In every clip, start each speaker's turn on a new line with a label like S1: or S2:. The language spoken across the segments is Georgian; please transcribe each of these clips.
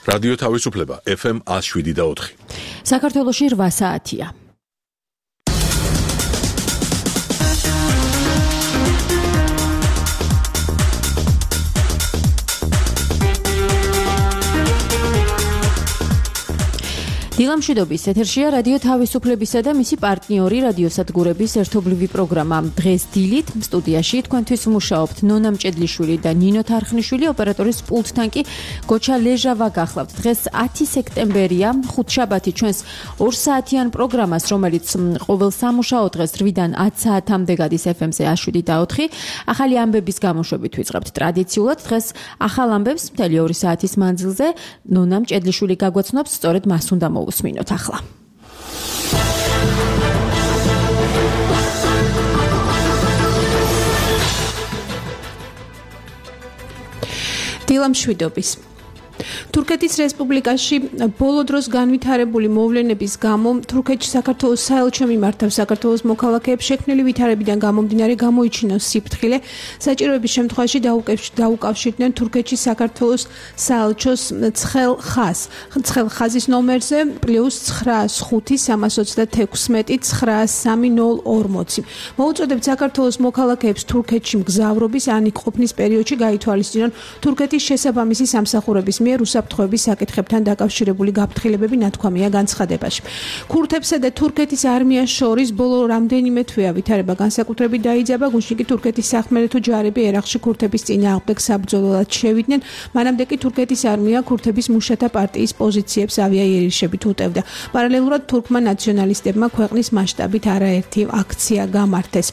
S1: რადიო თავისუფლება FM 107.4.
S2: საქართველოში 8 საათია. დილამშვიდობის ეთერშია რადიო თავისუფლებისა და მისი პარტნიორი რადიოსადგურების ერთობლივი პროგრამა. დღეს დილით სტუდიაში თქვენთვის მუშაობთ ნონა მჭედლიშვილი და ნინო თარხნიშვილი, ოპერატორის პულტთან კი გოჩა ლეჟავა გახლავთ. დღეს 10 სექტემბერია, ხუთშაბათი ჩვენს 2 საათიან პროგრამას, რომელიც ყოველ სამუშაო დღეს 8-დან 10 საათამდე გადის FM-ზე 107.4. ახალი ამბების გამოშვებით ვიწყებთ ტრადიციულად. დღეს ახალ ამბებს მთელი 2 საათის მანძილზე ნონა მჭედლიშვილი გაგვაცნობს, სწორედ მას უნდა უსმინოთ ახლა. დილამშვიდობის. თურქეთის რესპუბლიკაში ბოლო დროს განვითარებული მოვლენების გამო თურქეთში საქართველოს საელჩო მიმართავ საქართველოს მოქალაქეებს შექმნილი ვითარებიდან გამომდინარე გამოიჩინოს სიფრთხილე. საჭიროების შემთხვევაში დაუკავშირდნენ თურქეთში საქართველოს საელჩოს ცხელ ხაზის ნომერზე +905 326 903 მოუწოდებთ საქართველოს მოქალაქეებს თურქეთში მგზავრობის ან ყოფნის პერიოდში გაითვალისწინონ თურქეთის შესაბამისი სამსახურების მიერ უსაფრთხოების საკითხებთან დაკავშირებული გაფრთხილებები ნათქვამია განცხადებაში. ქურთებსა და თურქეთის არმიას შორის ბოლო რამდენიმე თვეა ვითარება განსაკუთრებით დაიძაბა. გუშინ კი თურქეთის სახმელეთო ჯარები ერაყში ქურთების წინააღმდეგ საბრძოლველად შევიდნენ. მანამდე კი თურქეთის არმია ქურთების მუშათა პარტიის პოზიციებს ავიაიერიშებით უტევდა. პარალელურად თურქმა ნაციონალისტებმა ქვეყნის მასშტაბით არაერთი აქცია გამართეს.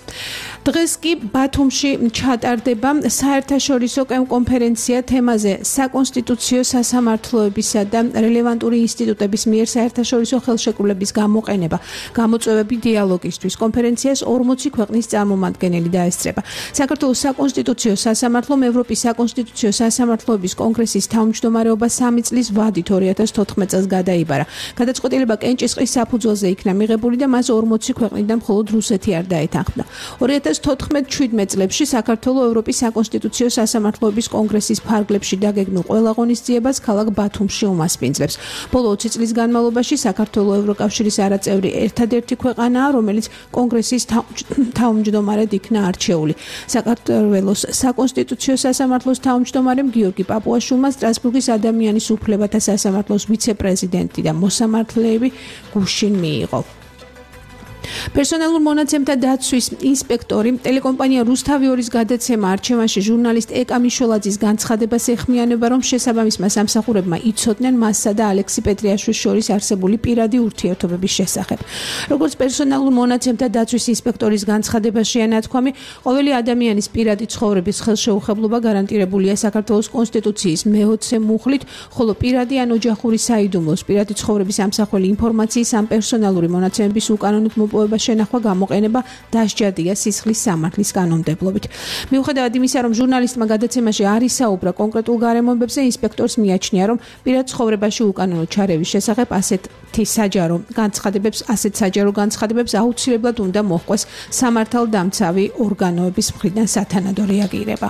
S2: დღეს კი ბათუმში ჩატარდება საერთაშორისო კონფერენცია თემაზე საკონსტიტუციო სასამართლოებისა და რელევანტური ინსტიტუტების მიერ საერთაშორისო ხელშეკრულების გამოყენება, გამოწვევები დიალოგისთვის. კონფერენციას 40 ქვეყნის წარმომადგენელი დაესწრება. საქართველოს საკონსტიტუციო სასამართლომ ევროპის საკონსტიტუციო სასამართლოების კონგრესის თავმჯდომარეობა 3 წლის ვადით 2014 წელს გადაიბარა. გადაწყვეტილება კენჭისყრის საფუძველზე იქნა მიღებული და მას 40 ქვეყნიდან მხოლოდ რუსეთი არ დაეთანხმდა. 2014-17 წლებში საქართველოს ევროპის საკონსტიტუციო სასამართლოების კონგრესის ფარგლებში დაგეგმილ ყველა ღონისძიებას ქალაქ ბათუმში უმასპინძლებს. ბოლო 20 წლის განმავლობაში საქართველოს ევროკავშირის არაწევრი ერთადერთი ქვეყანაა, რომელიც კონგრესის თავმჯდომარედ იქნა არჩეული. საქართველოს საკონსტიტუციო სასამართლოს თავმჯდომარემ გიორგი პაპუაშვილმა სტრასბურგის ადამიანის უფლებათა სასამართლოს ვიცე-პრეზიდენტი და მოსამართლეები გუშინ მიიღო. პერსონალურ მონაცემთა დაცვის ინსპექტორი ტელეკომპანია რუსთავი 2-ის გადაცემა არჩევანში ჟურნალისტ ეკა მიშოლაძის განცხადებას ეხმიანება, რომ შესაბამისმა სამსახურებმა იცოდნენ მასსა და ალექსი პეტრიაშვილის შორის არსებული პირადი ურთიერთობების შესახებ. როგორც პერსონალურ მონაცემთა დაცვის ინსპექტორის განცხადებაშია ნათქვამი, ყოველი ადამიანის პირადი ცხოვრების ხელშეუხებლობა გარანტირებულია საქართველოს კონსტიტუციის მე-20 მუხლით, ხოლო პირადი ან ოჯახური საიდუმლოს, პირადი ცხოვრების ამსახველი ინფორმაციის ან პერსონალური მონაცემების უკანონოდ შენახვა გამოყენება დასჯადია სისხლის სამართლის კანონმდებლობით. მიუხედავად იმისა, რომ ჟურნალისტმა გადაცემაში არ ისაუბრა კონკრეტულ გარემოებებზე, ინსპექტორს მიაჩნია, რომ პირად ცხოვრებაში უკანონო ჩარევის შესახებ ასეთ საჯარო განცხადებებს აუცილებლად უნდა მოჰყვეს სამართალდამცავი ორგანოების მხრიდან სათანადო რეაგირება.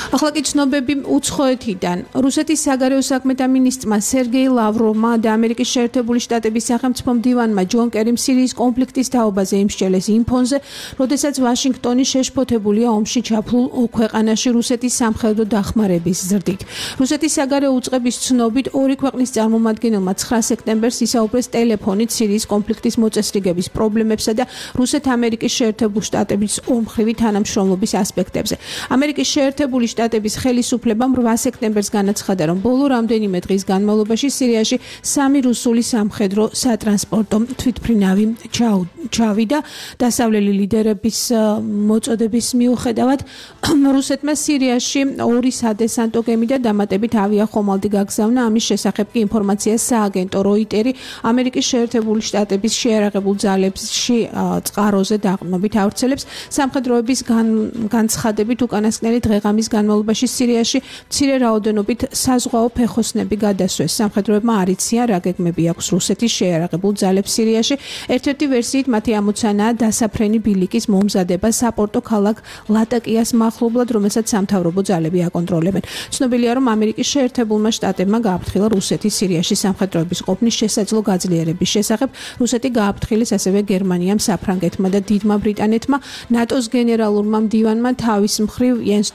S2: ახლა კი ცნობები უცხოეთიდან. რუსეთის საგარეო საქმეთა მინისტრმა სერგეი ლავროვმა და ამერიკის შეერთებული შტატების სახელმწიფო მდივანმა ჯონ კერიმ სირიის კონფლიქტის თაობაზე იმსჯელეს იმ ფონზე, როდესაც ვაშინგტონი შეშფოთებულია ომში ჩაფლულ ქვეყანაში რუსეთის სამხედრო დახმარების ზრდით. რუსეთის საგარეო უწყების ცნობით, 2 ქვეყნის წარმომადგენელმა 9 სექტემბერს ისაუბრეს ტელეფონით სირიის კონფლიქტის მოწესრიგების პრობლემებსა და რუსეთ-ამერიკის შეერთებული შტატების ორმხრივი თანამშრომლობის ასპექტებზე. ამერიკის შეერთებული შტატების ხელისუფლებამ 8 სექტემბერს განაცხადა, რომ ბოლო რამდენიმე დღის განმავლობაში სირიაში 3 რუსული სამხედრო სატრანსპორტო თვითმფრინავი ჩავიდა. დასავლელი ლიდერების მოწოდების მიუხედავად, რუსეთმა სირიაში 2 სადესანტო გემი და დამატებით ავიახომალდი გაგზავნა. ამის შესახებ კი ინფორმაციას სააგენტო როიტერი ამერიკის შეერთებული შტატების შეიარაღებულ ძალებში წყაროზე დაყრდნობით ავრცელებს. სამხედროების განცხადებით უკანასკნელი დღეღამის განმავლობაში სირიაში მცირე რაოდენობით საზღვაო ფეხოსნები გადასვეს. სამხედროებმა არ იციან რა გეგმები აქვს რუსეთის შეიარაღებულ ძალებს სირიაში. ერთ-ერთი ვერსიით მათი ამოცანაა დასაფრენი ბილიკის მომზადება საპორტო ქალაქ ლატაკიას მახლობლად, რომელსაც სამთავრობო ძალები აკონტროლებენ. ცნობილია, რომ ამერიკის შეერთებულმა შტატებმა გააფრთხილა რუსეთის სირიაში სამხედროების ყოფნის შესაძლო გაძლიერების შესახებ. რუსეთი გააფრთხილეს ასევე გერმანიამ, საფრანგეთმა და დიდმა ბრიტანეთმა. ნატოს გენერალურმა მდივანმა თავის მხრივ იენს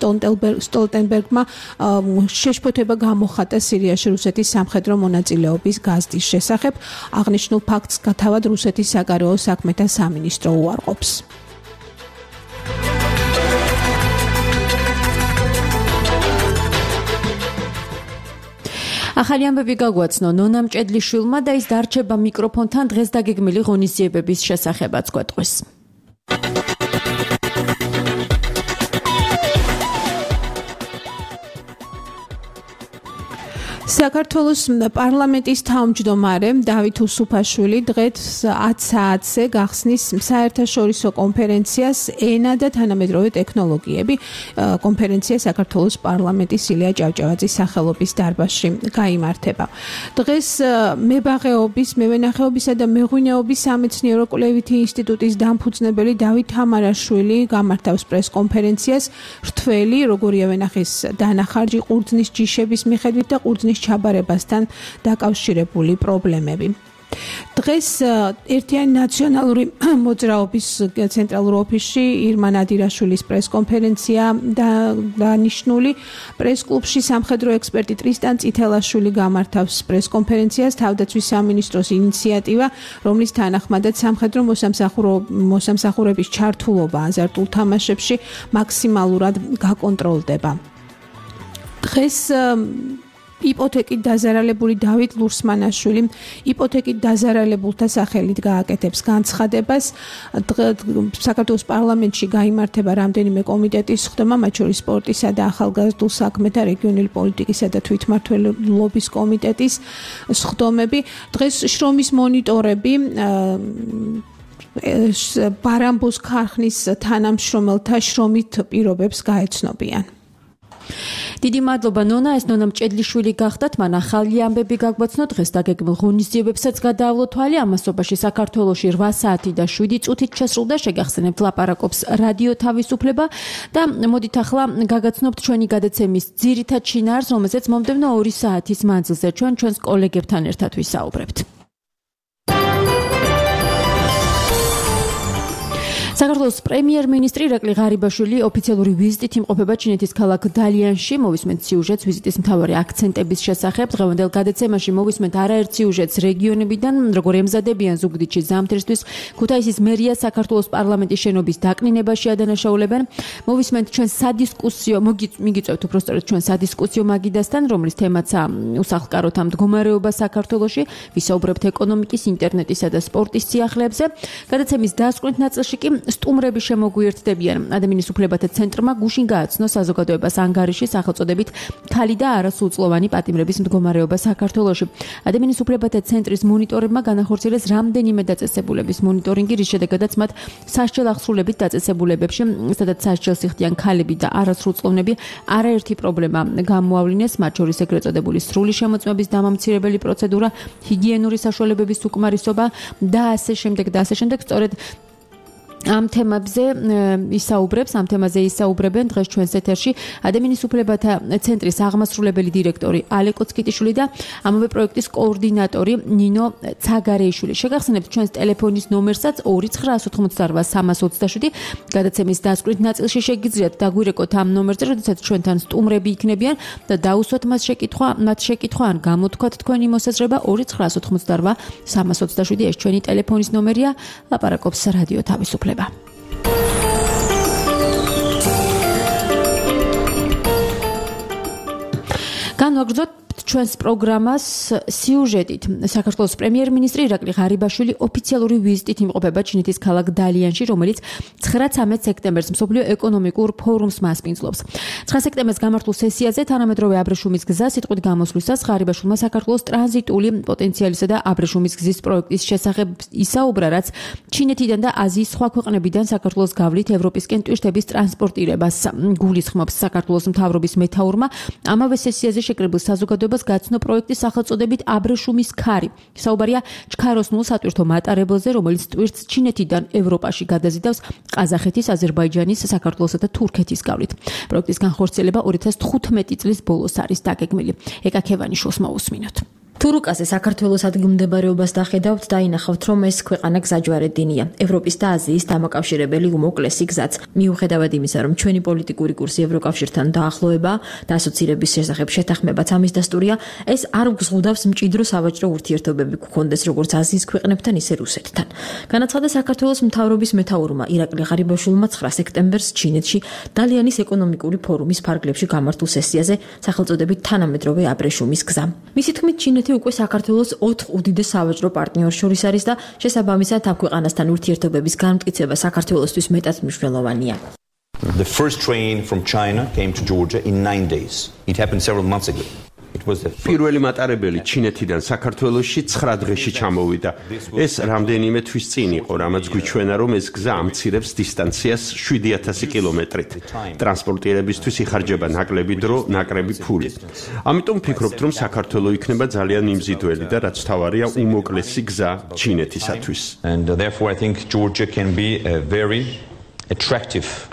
S2: სტოლტენბერგმა შეშფოთება გამოხატა სირიაში რუსეთის სამხედრო მონაწილეობის გაზრდის შესახებ. აღნიშნულ ფაქტს თავად რუსეთის საგარეო საქმეთა სამინისტრო უარყოფს.
S3: ახალი ამბები გაგვაცნო ნონა მჭედლიშვილმა და ის დარჩება მიკროფონთან დღეს დაგეგმილი ღონისძიებების შესახებაც გვეტყვის.
S2: საქართველოს პარლამენტის თავმჯდომარე დავით უსუფაშვილი დღეს 10 საათზე გახსნის საერთაშორისო კონფერენციას ენა და თანამედროვე ტექნოლოგიები. კონფერენცია საქართველოს პარლამენტის ილია ჭავჭავაძის სახელობის დარბაზში გაიმართება. დღეს მებაღეობის, მევენახეობისა და მეღვინეობის სამეცნიერო კვლევითი ინსტიტუტის დამფუძნებელი დავით თამარაშვილი გამართავს პრეს-კონფერენციას რთველი, როგორია ვენახის დანახარჯი ყურძნის ჯიშების მიხედვით და ყურძნის ჩაბარებასთან დაკავშირებული პრობლემები. დღეს ერთიანი ნაციონალური მოძრაობის ცენტრალურ ოფისში ირმა ნადირაშვილის პრეს-კონფერენცია დანიშნული. პრეს-კლუბში სამხედრო ექსპერტი ტრისტან წითელაშვილი გამართავს პრეს-კონფერენციას. თავდაცვის სამინისტროს ინიციატივა, რომლის თანახმადაც სამხედრო მოსამსახურების ჩართულობა აზარტულ თამაშებში მაქსიმალურად გაკონტროლდება. დღეს იპოთეკით დაზარალებული დავით ლურსმანაშვილი იპოთეკით დაზარალებულთა სახელით გააკეთებს განცხადებას. საქართველოს პარლამენტში გაიმართება რამდენიმე კომიტეტის სხდომა, მათ შორის სპორტისა და ახალგაზრდულ საქმეთა, რეგიონული პოლიტიკისა და თვითმმართველობის კომიტეტის სხდომები. დღეს შრომის მონიტორები ბარამბოს ქარხნის თანამშრომელთა შრომით პირობებს გაეცნობიან.
S3: დიდი მადლობა ნონა, ეს ნონა მჭედლიშვილი გახდათ, მან ახალი ამბები გაგვაცნო, დღეს დაგეგმილ ღონისძიებებსაც გადაავლო თვალი, ამასობაში საქართველოში 8 საათი და 7 წუთით შესრულდა, შეგახსენებთ ლაპარაკობს რადიო თავისუფლება და მოდით ახლა გაგაცნობთ ჩვენი გადაცემის ძირითად შინაარს, რომელზეც მომდევნო 2 საათის მანძილზე ჩვენს კოლეგებთან ერთად ვისაუბრებთ. საქართველოს პრემიერ-მინისტრი ირაკლი ღარიბაშვილი ოფიციალური ვიზიტით იმყოფება ჩინეთის ქალაქ დალიანში. მოვისმენთ სიუჟეტს ვიზიტის მთავარი აქცენტების შესახებ. დღევანდელ გადაცემაში მოვისმენთ არაერთ სიუჟეტს რეგიონებიდან, როგორ ემზადებიან ზუგდიდში ზამთრისთვის, ქუთაისის მერია საქართველოს პარლამენტის შენობის დაკნინებაში ადანაშაულებენ. მოვისმენთ ჩვენ სადისკუსიო, მიგიწევთ უბრალოდ ჩვენ სადისკუსიო მაგიდასთან, რომლის თემაცაა უსახლკაროთა მდგომარეობა საქართველოში. ვისაუბრებთ ეკონომიკის, ინტერნეტისა და სპორტის სიახლეებზე. გადაცემის დასკვნით ნაწილში კი სტუმრები შემოგვიერთდებიან. ადამიანის უფლებათა ცენტრმა გუშინ გააცნო საზოგადოებას ანგარიში სახელწოდებით ქალი და არასრულწლოვანი პატიმრების მდგომარეობა საქართველოში. ადამიანის უფლებათა ცენტრის მონიტორებმა განახორციელეს რამდენიმე დაწესებულების მონიტორინგი, რის შედეგადაც მათ სასჯელ აღსრულებით დაწესებულებებში, სადაც სასჯელს იხდიან ქალები და არასრულწლოვნები, არაერთი პრობლემა გამოავლინეს, მათ შორის ეგრეთ წოდებული სრული შემოწმების დამამცირებელი პროცედურა, ჰიგიენური საშუალებების უკმარისობა და ასე შემდეგ. სწორედ ამ თემებზე ისაუბრებენ დღეს ჩვენს ეთერში ადამიანის უფლებათა ცენტრის აღმასრულებელი დირექტორი ალეკო ცკიტიშვილი და ამავე პროექტის კოორდინატორი ნინო ცაგარეიშვილი. შეგახსენებთ ჩვენს ტელეფონის ნომერსაც 2988327. გადაცემის დასკვნით ნაწილში შეგიძლიათ დაგვირეკოთ ამ ნომერზე, როდესაც ჩვენთან სტუმრები იქნებიან და დაუსვათ მათ შეკითხვა ან გამოთქვათ თქვენი მოსაზრება 2988327. ეს ჩვენი ტელეფონის ნომერია. ლაპარაკობს რადიო თავისუფლება. განვაგრძოთ ჩვენს პროგრამას სიუჟეტით. საქართველოს პრემიერ-მინისტრი ირაკლი ღარიბაშვილი ოფიციალური ვიზიტით იმყოფება ჩინეთის ქალაქ დალიანში, რომელიც 9-13 სექტემბერს მსოფლიო ეკონომიკურ ფორუმს მასპინძლობს. 9 სექტემბერს გამართულ სესიაზე თანამედროვე აბრეშუმის გზა სიტყვით გამოსვლისას ღარიბაშვილმა საქართველოს ტრანზიტული პოტენციალისა და აბრეშუმის გზის პროექტის შესახებ ისაუბრა, რაც ჩინეთიდან და აზიის სხვა ქვეყნებიდან საქართველოს გავლით ევროპისკენ ტვირთების ტრანსპორტირებას გულისხმობს საქართველოს მთავრობის მეთაურმა. ამავე სესიაზე შეკრებილ საზოგადოებას გაცნო პროექტის სახელწოდებით აბრეშუმის ქარი. საუბარია ჩქაროსნულ სატვირთო მატარებელზე, რომელიც ტვირთს ჩინეთიდან ევროპაში გადაზიდავს ყაზახეთის, აზერბაიჯანის, საქართველოსა და თურქეთის გავლით. პროექტის განხორციელება 2015 წლის ბოლოს არის დაგეგმილი. ეკაქევანი შოს მოусმინოთ.
S4: თურუკაზე საქართველოს ადგილმდებარეობას დახედავთ და ინახავთ, რომ ეს ქვეყანა გზაჯვარედინია. ევროპის და აზიის დამაკავშირებელი უმოკლესი გზაც. მიუხედავად იმისა, რომ ჩვენი პოლიტიკური კურსი ევროკავშირთან დაახლოება და ასოცირების შესახებ შეთანხმებაც ამის დასტურია, ეს არ გზღუდავს მჭიდრო სავაჭრო ურთიერთობები გქონდეს როგორც აზიის ქვეყნებთან, ისე რუსეთთან. განაცხადა საქართველოს მთავრობის მეთაურმა ირაკლი ღარიბაშვილმა 9 სექტემბერს ჩინეთში დალიანის ეკონომიკური ფორუმის ფარგლებში გამართულ სესიაზე სახელწოდებით თანამედროვე აბრეშუმის გზა. მისი თქმით, ჩინეთი უკვე საქართველოს 4 უდიდეს სავაჭრო პარტნიორს შორის არის და შესაბამისად ამ ქვეყანასთან ურთიერთობების განმტკიცება საქართველოსთვის მეტად მნიშვნელოვანია.
S5: The first train from China came to Georgia in 9 days. It happened several months ago.
S6: პირველი მატარებელი ჩინეთიდან საქართველოში 9 დღეში ჩამოვიდა. ეს რამდენიმე თვის წინ იყო, რამაც გვიჩვენა, რომ ეს გზა ამცირებს დისტანციას 7000 კილომეტრით. ტრანსპორტირებისთვის იხარჯება ნაკლები დრო, ნაკრები ფული. ამიტომ ვფიქრობთ, რომ საქართველო იქნება ძალიან მიმზიდველი და რაც თავარია უმოკლესი გზა ჩინეთისათვის.
S5: And therefore I think Georgia can be a very attractive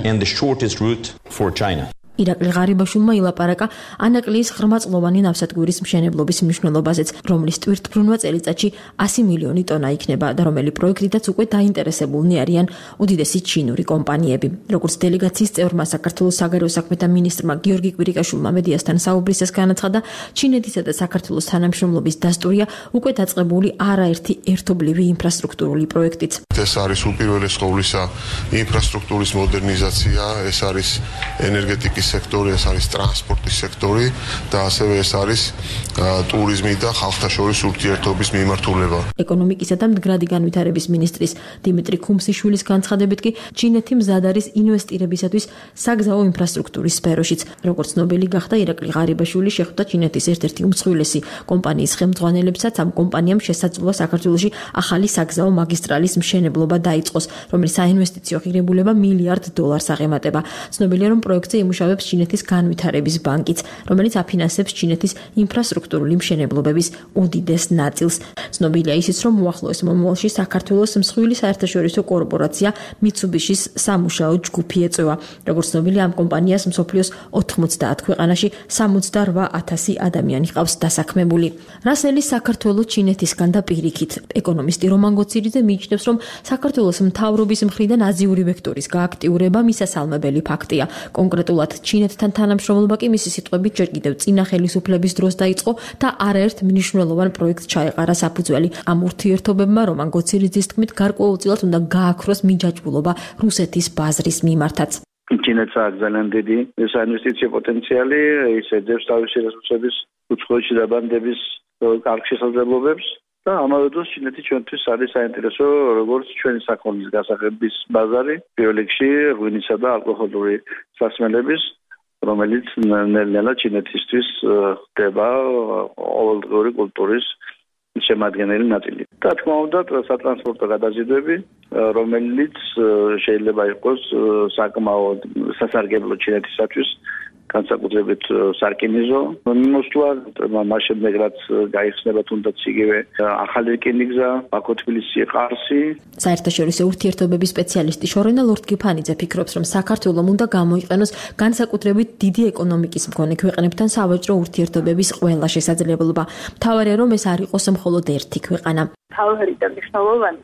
S5: and the shortest route for China.
S4: ირაკლი ღარიბაშვილმა ილაპარაკა ანაკლიის ღრმაწლოვანი ნავსადგურის მშენებლობის მნიშვნელობაზეც, რომლის ტვირთბრუნვა წელიწადში 100 მილიონი ტონა იქნება და რომელი პროექტითაც უკვე დაინტერესებულნი არიან უდიდესი ჩინური კომპანიები. როგორც დელეგაციის წევრმა საქართველოს საგარეო საქმეთა მინისტრმა გიორგი კვირიკაშვილმა მედიასთან საუბრისას განაცხადა, ჩინეთისა და საქართველოს თანამშრომლობის დასტურია უკვე დაწყებული არაერთი ერთობლივი ინფრასტრუქტურული პროექტიც.
S7: ეს არის უპირველეს ყოვლისა ინფრასტრუქტურის მოდერნიზაცია, ეს არის ენერგეტიკის სექტორი, ეს არის ტრანსპორტის სექტორი და ასევე ეს არის ტურიზმი და ხალხთა შორის ურთიერთობის მიმართულება.
S4: ეკონომიკისა და მდგრადი განვითარების მინისტრის დიმიტრი ქუმსიშვილის განცხადებით კი ჩინეთი მზად არის ინვესტირებისათვის საგზაო ინფრასტრუქტურის სფეროშიც. როგორც ნობელი გახდა ირაკლი ღარიბაშვილი შეხვდა ჩინეთის ერთ-ერთი უმსხვილესი კომპანიის ხელმძღვანელებსაც. ამ კომპანიამ შესაძლოა საქართველოში ახალი საგზაო მაგისტრალის მშენებლობა დაიწყოს, რომლის საინვესტიციო ღირებულება $1 მილიარდ აღემატება. ცნობილია, რომ პროექტზე იმუშავებს ჩინეთის განვითარების ბანკიც, რომელიც აფინანსებს ჩინეთის ინფრასტრუქტურული მშენებლობების უდიდეს ნაწილს. ცნობილია ისიც, რომ უახლოეს მომავალში საქართველოს მსხვილი საერთაშორისო კორპორაცია მიცუბიშის სამუშაო ჯგუფი ეწევა. როგორც ცნობილია, ამ კომპანიას მსოფლიოს 90 ქვეყანაში 68,000 ადამიანი ყავს დასაქმებული. რასელი საქართველოს ჩინეთისგან და პირიქით. ეკონომისტი რომან გოცირიძე მიიჩნევს, რომ საქართველოს მთავრობის მხრიდან აზიური ვექტორის გააქტიურება მისასალმებელი ფაქტია. კონკრეტულად ჩინეთთან თანამშრომლობა კი მისი სიტყვებით ჯერ კიდევ წინა ხელისუფლების დროს დაიწყო და არაერთ მნიშვნელოვან პროექტს ჩაეყარა საფუძველი. ამ ურთიერთობებმა რომან გოცირიძის თქმით გარკვეულწილად უნდა გააქროს მიჯაჭვულობა რუსეთის ბაზრის მიმართაც.
S8: ჩინეთს აქვს ძალიან დიდი საინვესტიციო პოტენციალი, ის ეძებს თავისი რესურსების უცხოეთში დაბანდების კარგ შესაძლებლობებს და ამავე დროს ჩინეთი ჩვენთვის არის საინტერესო როგორც ჩვენი საქონლის გასაღების ბაზარი, პირველ რიგში ღვინისა და ალკოჰოლური სასმელების, რომელიც ნელ-ნელა ჩინეთისთვის ხდება ყოველდღიური კულტურის შემადგენელი ნაწილი. და თქმა უნდა, სატრანსპორტო გადაზიდვები, რომელიც შეიძლება იყოს საკმაოდ სასარგებლო ჩინეთისათვის, განსაკუთრებით სარკინიზო მიმოსვლა, მას შემდეგ რაც გაიხსნება თუნდაც იგივე ახალი რკინიგზა, ბაქო-თბილისი-ყარსი.
S4: საერთაშორისო ურთიერთობების სპეციალისტი შორენა ლორდ-გიფანიძე ფიქრობს, რომ საქართველომ უნდა გამოიყენოს განსაკუთრებით დიდი ეკონომიკის მქონე ქვეყნებთან სავაჭრო ურთიერთობების ყველა შესაძლებლობა. მთავარია, რომ ეს არ იყოს მხოლოდ ერთი ქვეყანა.
S9: მთავარი და მნიშვნელოვანი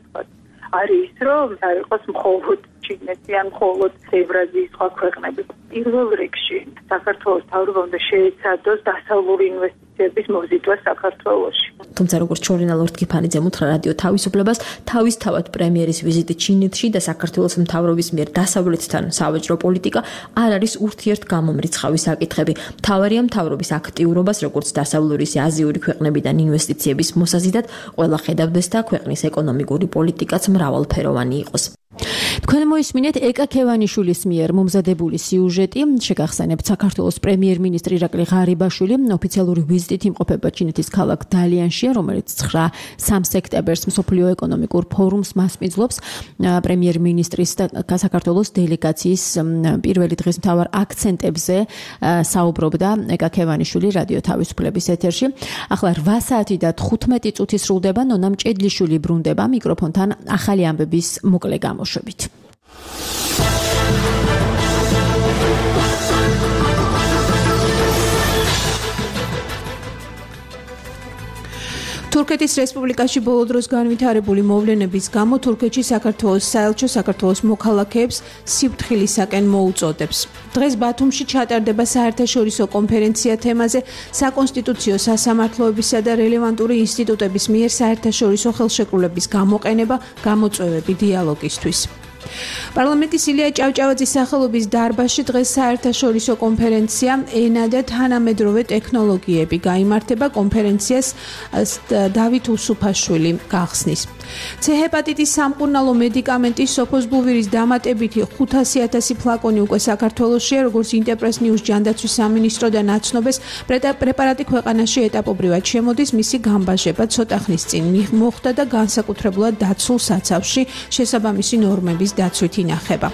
S9: არის, რომ არ იყოს მხოლოდ ჩინეთი ან მხოლოდ ევრაზიის სხვა ქვეყნები. პირველ რიგში საქართველოს მთავრობა უნდა შეეცადოს დასავლური ინვესტიციების ინვესტიციების მოზიდვა საქართველოში.
S4: თუმცა როგორც ჟურნალ ორთქიფანიძემ უთხრა რადიო თავისუფლებას, თავისთავად პრემიერის ვიზიტი ჩინეთში და საქართველოს მთავრობის მიერ დასავლეთთან სავაჭრო პოლიტიკა არ არის ურთიერთგამომრიცხავი საკითხები. მთავარია მთავრობის აქტიურობას, როგორც დასავლური აზიური ქვეყნებიდან ინვესტიციების მოსაზიდად, ყველა ხედავდეს და ქვეყნის ეკონომიკური პოლიტიკაც მრავალფეროვანი იყოს. თქვენ მოისმინეთ ეკა ქევანიშვილის მიერ მომზადებული სიუჟეტი. შეგახსენებთ, საქართველოს პრემიერ-მინისტრი ირაკლი ღარიბაშვილი ოფიციალური ვიზიტით იმყოფება ჩინეთის ქალაქ დალიანში, რომელიც 3 სექტემბერს მსოფლიო ეკონომიკურ ფორუმს მასპინძლობს. პრემიერ-მინისტრის და საქართველოს დელეგაციის პირველი დღის მთავარ აქცენტებზე საუბრობდა ეკა ქევანიშვილი რადიო თავისუფლების ეთერში. ახლა 8 საათი და 15 წუთი სრულდება, ნონა მჭედლიშვილი ბრუნდება მიკროფონთან ახალი ამბების მოკლე გამოშვებით.
S2: თურქეთის რესპუბლიკაში ბოლო დროს განვითარებული მოვლენების გამო თურქეთში საქართველოს საელჩო საქართველოს მოქალაქეებს სიფრთხილისაკენ მოუწოდებს. დღეს ბათუმში ჩატარდება საერთაშორისო კონფერენცია თემაზე საკონსტიტუციო სასამართლოებისა და რელევანტური ინსტიტუტების მიერ საერთაშორისო ხელშეკრულების გამოყენება, გამოწვევები დიალოგისთვის. პარლამენტის ილია ჭავჭავაძის სახელობის დარბაზში დღეს საერთაშორისო კონფერენცია ენა და თანამედროვე ტექნოლოგიები გაიმართება. კონფერენციას დავით უსუფაშვილი გახსნის. C-ჰეპატიტის სამკურნალო მედიკამენტის სოფოსბუვირის დამატებითი 500,000 ფლაკონი უკვე საქართველოშია, როგორც ინტერპრეს ნიუს ჯანდაცვის სამინისტრო და ნაცნობეს პრეპარატი ქვეყანაში ეტაპობრივად შემოდის, მისი გამბაჟება ცოტა ხნის წინ მოხდა და განსაკუთრებულად დაცულ საცავში შესაბამისი ნორმების დაცვით ინახება.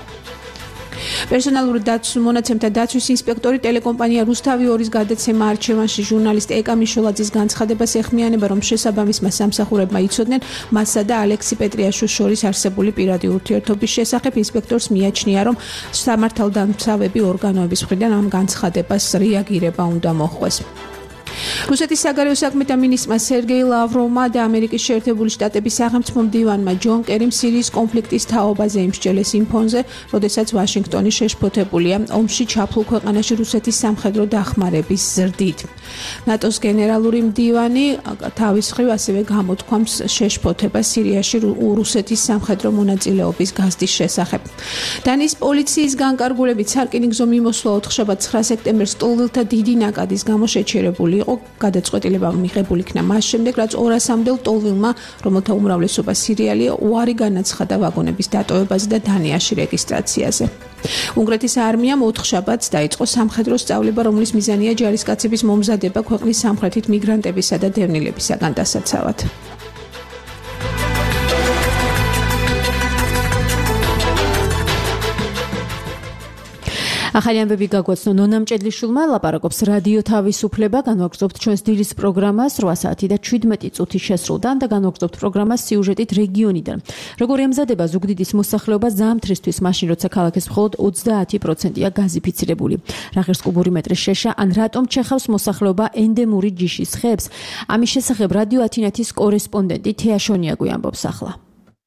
S2: პერსონალური დაცვის მონაცემთა დაცვის ინსპექტორი ტელეკომპანია რუსთავი 2-ის გადაცემა არჩევანში ჟურნალისტ ეკა მიშოლაძის განცხადებას ეხმიანება, რომ შესაბამისმა სამსახურებმა იცოდნენ მასსა და ალექსი პეტრიაშვილს შორის არსებული პირადი ურთიერთობის შესახებ. ინსპექტორს მიაჩნია, რომ სამართალდამცავები ორგანოების მხრიდან ამ განცხადებას რეაგირება უნდა მოჰყვეს. რუსეთის საგარეო საქმეთა მინისტრმა სერგეი ლავროვმა და ამერიკის შეერთებული შტატების სახელმწიფო მდივანმა ჯონ კერიმ სირიის კონფლიქტის თაობაზე იმსჯელეს იმ ფონზე, როდესაც ვაშინგტონი შეშფოთებულია ომში ჩაფლულ ქვეყანაში რუსეთის სამხედრო დახმარების ზრდით. ნატოს გენერალური მდივანი თავის მხრივ ასევე გამოთქვამს შეშფოთებას სირიაში რუსეთის სამხედრო მონაწილეობის გაზრდის შესახებ. დანიის პოლიციის განკარგულებით სარკინიგზო მიმოსვლა 4 სექტემბერს ტოლვილთა დიდი ნაკადის გამო შეჩერებული იყო. გადაწყვეტილება მიღებული იქნა მას შემდეგ, რაც 200-მდე ტოლვილმა, რომელთა უმრავლესობა სირიალია, უარი განაცხადა ვაგონების დატოვებაზე და დანიაში რეგისტრაციაზე. უნგრეთის არმიამ 4 შაბათს დაიწყო სამხედრო სწავლება, რომლის მიზანია ჯარისკაცების მომზადება ქვეყნის სამხრეთით მიგრანტებისა და დევნილებისაგან დასაცავად.
S3: ახალი ამბები გაგვაცნო ნონა მჭედლიშვილმა, ლაპარაკობს რადიო თავისუფლება, განვაგრძობთ ჩვენს დილის პროგრამას 8 საათი და 17 წუთი შესრულდა და განვაგრძობთ პროგრამას სიუჟეტით რეგიონიდან. როგორ ემზადება ზუგდიდის მოსახლეობა ზამთრისთვის, მაშინ როცა ქალაქის მხოლოდ 30%-ია გაზიფიცირებული. რა ღირს კუბური მეტრის შეშა, ან რატომ ჩეხავს მოსახლეობა ენდემური ჯიშის ხეებს? ამის შესახებ რადიო ათინათის კორესპონდენტი თეა შონიაგვი ამბობს ახლა.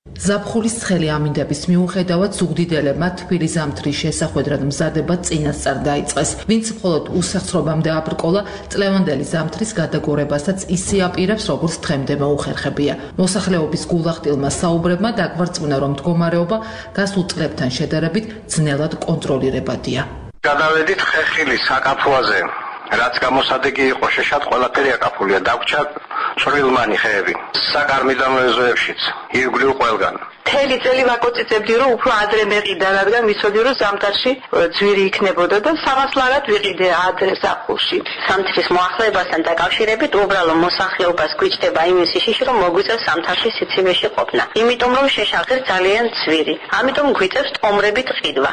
S10: ზაფხულის ცხელი ამინდების მიუხედავად ზუგდიდელებმა თბილი ზამთრის შესახვედრად მზადება წინასწარ დაიწყეს. ვინც მხოლოდ უსახსრობამდე აბრკოლა, წლევანდელი ზამთრის გადაგორებასაც ისე აპირებს, როგორც დღემდე მოუხერხებია. მოსახლეობის გულახდილმა საუბრებმა დაგვარწმუნა, რომ მდგომარეობა გასულ წლებთან შედარებით ძნელად კონტროლირებადია.
S11: გადავედით ხეხილის საკაფოაზე, რაც გამოსადეგი იყო შეშად ყველაფერი აკაფულია, დაგვრჩა წვრილმანი ხეები. საკარმიდამ ეზოებშიც, ირგვლივ ყველგან.
S12: მთელი წელი ვაკოწიწებდი, რომ უფრო ადრე მეყიდა, რადგან ვიცოდი, რომ ზამთარში ძვირი იქნებოდა და სამასლარად ვიყიდე ადრე ზაფხულში.
S13: ზამთრის მოახლეებასთან დაკავშირებით უბრალო მოსახლეობას გვიჭდება იმის შიში, რომ მოგვიწევს ზამთარში სიცივეში ყოფნა. იმიტომ რომ შეშაღეს ძალიან ძვირი. ამიტომ გვიწევს ტომრებით ყიდვა.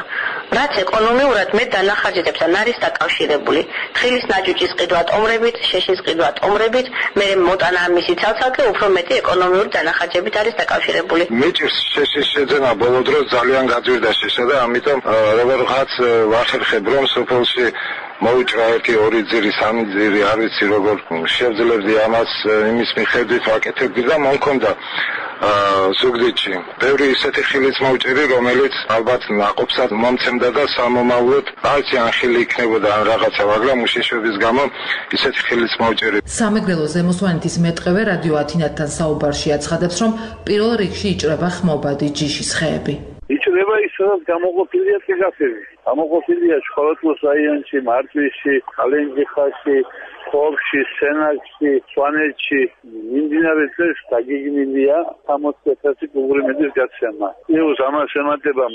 S13: რაც ეკონომიურად მეტ დანახარჯებთან არის დაკავშირებული. თხილის ნაჭუჭის ყიდვა ტომრებით, შეშის ყიდვა ტომრებით, მე მოტანა მისი ცალ-ცალკე უფრო მეტი ეკონომიური დანახარჯებით არის დაკავშირებული.
S11: მიჭირს შეშის შეძენა ბოლო დროს ძალიან გაძვირდა შეშა და ამიტომ როგორღაც ვახერხებ რომ სოფელში მოვიჭრა 1-2 ძირი, 3 ძირი, არ ვიცი როგორ შევძლებდი ამას იმის მიხედვით ვაკეთებდი და მომქონდა ზუგდიდში. ბევრი ისეთი ხილიც მოვჭირი, რომელიც ალბათ ნაყოფსად მომცემდა და სამომავლოდ არც ანხილი იქნებოდა ან რაღაცა, მაგრამ უშიშრობის გამო ისეთი ხილიც მოვჭირი.
S10: სამეგრელო ზემოსვანეთის მეტყევე რადიო ათინათთან საუბარში აცხადებს, რომ პირველ რიგში იჭრება ხმობადი ჯიშის ხეები.
S8: იჭრება ის, სადაც გამოყოფილია ტიგაფები. გამოყოფილია შხოროთმოს რაიონში, მარტვისში, ალენჯიხაში, ხორში, სენაკში, სვანეთში, მიმდინარე წელს დაგეგმილია 60,000 კუბური მეტრის გაცემა. იუს ამას ემატება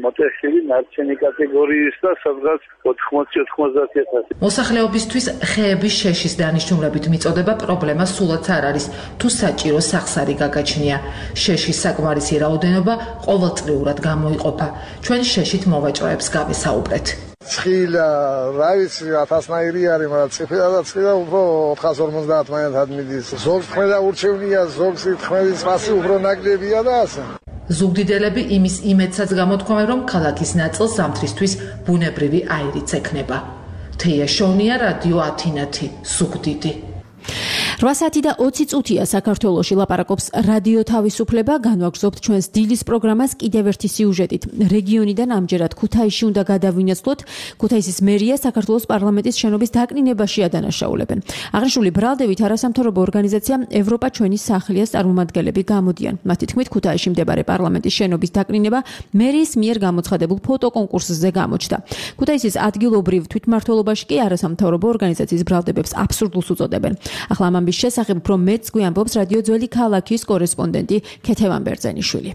S8: მოტეხილი ნარჩენი კატეგორიის და სადღაც 80-90,000.
S10: მოსახლეობისთვის ხეების შეშის დანიშნულებით მიწოდება პრობლემა სულაც არ არის, თუ საჭირო სახსარი გაგაჩნია. შეშის საკმარისი რაოდენობა ყოველწლიურად გამოიყოფა. ჩვენ შეშით მოვაჭროებს გავისაუბრეთ.
S14: ცხილა, რა ვიცი, 1000-ნაირი არის, მაგრამ ციფრა ცხილა უფრო 450 მაინც მიდის. ზოგს ხმედა ურჩევნია, ზოგს ხმედის მასი უფრო ნაკლებია და ასე.
S10: ზუგდიდელები იმის იმედსაც გამოთქვამენ, რომ ქალაქის ნაწილს ზამთრისთვის ბუნებრივი აირიც ექნება. თეია შოვნია, რადიო ათინათი, ზუგდიდი.
S3: 8 საათი და 20 წუთია საქართველოში ლაპარაკობს რადიო თავისუფლება. განვაგრძობთ ჩვენს დილის პროგრამას კიდევ ერთი სიუჟეტით. რეგიონიდან ამჯერად ქუთაისში უნდა გადავინაცვლოთ. ქუთაისის მერია საქართველოს პარლამენტის შენობის დაკნინებაში ადანაშაულებენ. აღნიშნული ბრალდებით არასამთავრობო ორგანიზაცია ევროპა ჩვენი სახლიას წარმომადგენლები გამოდიან. მათი თქმით, ქუთაისში მდებარე პარლამენტის შენობის დაკნინება მერიის მიერ გამოცხადებულ ფოტოკონკურსზე გამოჩნდა. ქუთაისის ადგილობრივ თვითმმართველობაში კი არასამთავრობო ორგანიზაციის ბრალდებებს აბსურდულს უწოდებენ. ახლა ამ ამბის შესახებ უფრო მეტს გვიამბობს რადიო ძველი ქალაქის კორესპონდენტი ქეთევან ბერძენიშვილი.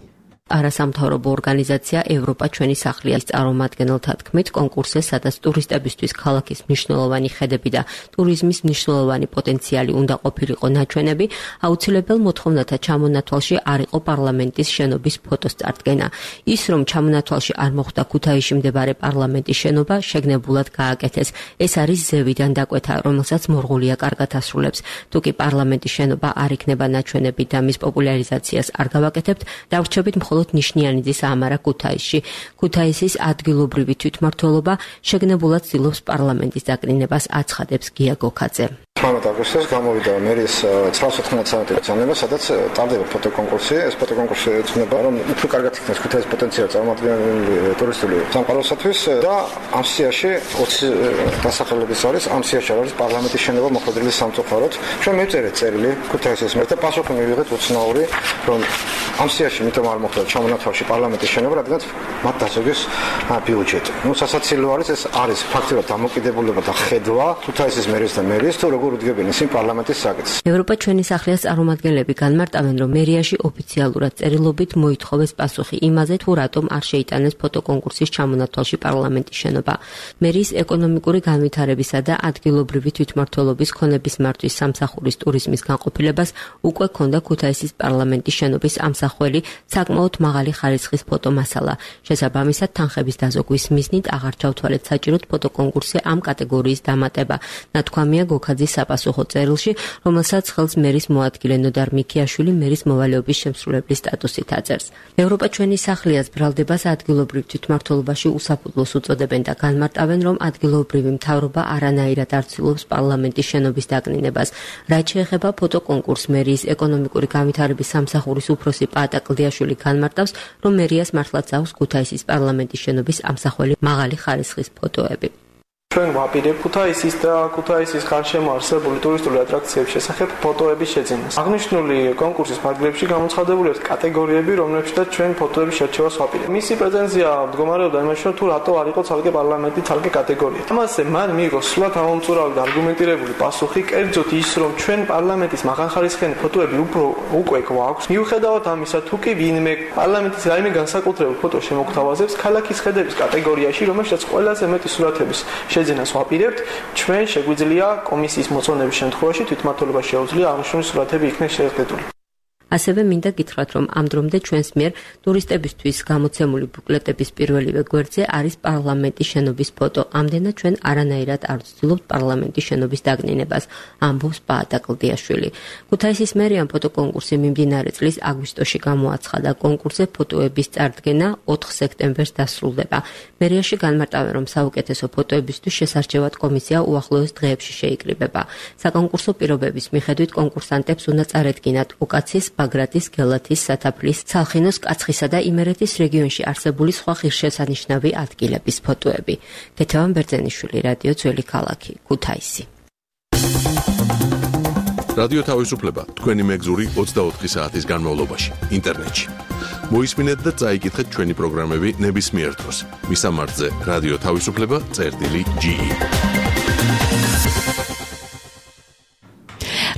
S15: არასამთავრობო ორგანიზაცია ევროპა ჩვენი სახლიას წარმომადგენელთა თქმით, კონკურსზე, სადაც ტურისტებისთვის ქალაქის მნიშვნელოვანი ხედები და ტურიზმის მნიშვნელოვანი პოტენციალი უნდა ყოფილიყო ნაჩვენები, აუცილებელ მოთხოვნათა ჩამონათვალში არ იყო პარლამენტის შენობის ფოტოს წარდგენა. ის, რომ ჩამონათვალში არ მოხვდა ქუთაისში მდებარე პარლამენტის შენობა, შეგნებულად გააკეთეს. ეს არის ზევიდან დაკვეთა, რომელსაც მორღულია კარგად ასრულებს. თუ კი პარლამენტის შენობა არ იქნება ნაჩვენები და მის პოპულარიზაციას არ გავაკეთებთ, დავრჩებით მხოლოდ ნიშნიანიძის ამარა ქუთაისში. ქუთაისის ადგილობრივი თვითმმართველობა შეგნებულად ცდილობს პარლამენტის დაკნინებას, აცხადებს გია გოქაძე.
S14: 18 აგვისტოს გამოვიდა მერიის 919 საათის ბრძანება, სადაც ტარდება ფოტოკონკურსი. ეს ფოტოკონკურსი ეძღვნება, რომ უფრო კარგად იქნას ქუთაისის პოტენციალი წარმომადგენელი ტურისტული სამყაროსათვის და ამ სიაში 20 დასახელების არის. ამ სიაში არის პარლამენტის შენობა მოხდილი სამწუხაროდ. ჩვენ მივწერეთ წერილი ქუთაისის მერს და პასუხი მივიღეთ უცნაური, რომ ამ სიაში მითომ არ მოხდა ჩამონათვალში პარლამენტის შენობა, რადგან მათ დასოგეს ბიუჯეტი. ნუ სასაცილო არის, ეს არის ფაქტურად დამოკიდებულება და ხედვა ქუთაისის მერის და მერის თუ როგორ უდგებენ ისინი პარლამენტის საკითხს.
S15: ევროპა ჩვენი სახლიას წარმომადგენლები განმარტავენ, რომ მერიაში ოფიციალურად წერილობით მოითხოვეს პასუხი იმაზე, თუ რატომ არ შეიტანეს ფოტოკონკურსის ჩამონათვალში პარლამენტის შენობა. მერიის ეკონომიკური განვითარებისა და ადგილობრივი თვითმმართველობის ქონების მართვის სამსახურის ტურიზმის განყოფილებას უკვე ჰქონდა ქუთაისის პარლამენტის შენობის ამსახველი საკმაოდ მაღალი ხარისხის ფოტომასალა. შესაბამისად, თანხების დაზოგვის მიზნით აღარ ჩავთვალეთ საჭიროდ ფოტოკონკურსზე ამ კატეგორიის დამატება. ნათქვამია გოქაძის საპასუხო წერილში, რომელსაც ხელს მერის მოადგილე ნოდარ მიქიაშვილი მერის მოვალეობის შემსრულებლის სტატუსით აწერს. ევროპა ჩვენი სახლიას ბრალდებას ადგილობრივ თვითმმართველობაში უსაფუძვლოს უწოდებენ და განმარტავენ, რომ ადგილობრივი მთავრობა არანაირად არ ცდილობს პარლამენტის შენობის დაკნინებას. რაც შეეხება ფოტოკონკურს, მერიის ეკონომიკური განვითარების სამსახურის უფროსი პაატა კლდიაშვილი განმარტავს, რომ მერიას მართლაც აქვს ქუთაისის პარლამენტის შენობის ამსახველი მაღალი ხარისხის ფოტოები.
S16: ჩვენ ვაპირებ ქუთაისის და ქუთაისის გარშემო არსებული ტურისტული ატრაქციების შესახებ ფოტოების შეძენას. აღნიშნული კონკურსის ფარგლებში გამოცხადებული आहेत კატეგორიები, რომლებშიც ჩვენ ფოტოების შერჩევას ვაპირებთ. მისი პრეტენზია მდგომარეობდა იმაში, რომ თუ რატო არ იყო ცალკე პარლამენტი ცალკე კატეგორია. ამაზე მან მიიღო სულად ამომწურავი და არგუმენტირებული პასუხი, კერძოდ ის, რომ ჩვენ პარლამენტის მაღალხარისხიანი ფოტოები უკვე გვაქვს. მიუხედავად ამისა, თუ კი ვინმე პარლამენტის რაიმე განსაკუთრებულ ფოტოს შემოგთავაზებს ქალაქის ხედების კატეგორიაში, რომელშიც ყველაზე მეტი სურათების შეძენას ვაპირებთ, ჩვენ შეგვიძლია კომისიის მოწონების შემთხვევაში თვითმმართველობა შეუძლია აღნიშნული სურათები იქნეს შეგრძნებული.
S15: ასევე მინდა გითხრათ, რომ ამ დრომდე ჩვენს მიერ ტურისტებისთვის გამოცემული ბუკლეტების პირველივე გვერდზე არის პარლამენტის შენობის ფოტო. ამდენად ჩვენ არანაირად არ ვცდილობთ პარლამენტის შენობის დაკნინებას, ამბობს პაატა კლდიაშვილი. ქუთაისის მერიამ ფოტოკონკურსი მიმდინარე წლის აგვისტოში გამოაცხადა. კონკურსზე ფოტოების წარდგენა 4 სექტემბერს დასრულდება. მერიაში განმარტავენ, რომ საუკეთესო ფოტოებისთვის შესარჩევად კომისია უახლოეს დღეებში შეიკრიბება. საკონკურსო პირობების მიხედვით კონკურსანტებს უნდა წარედგინათ უკაცის ბაგრატის, გელათის, სათაფლის, ცალხინოს, კაცხისა და იმერეთის რეგიონში არსებული სხვა ღირსშესანიშნავი ადგილების ფოტოები. გეთევან ბერძენიშვილი, რადიო ძველი ქალაქი, ქუთაისი.
S1: რადიო თავისუფლება თქვენი მეგზური 24 საათის განმავლობაში ინტერნეტში. მოისმინეთ და წაიკითხეთ ჩვენი პროგრამები ნებისმიერ დროს. მისამართზე რადიო თავისუფლება.ge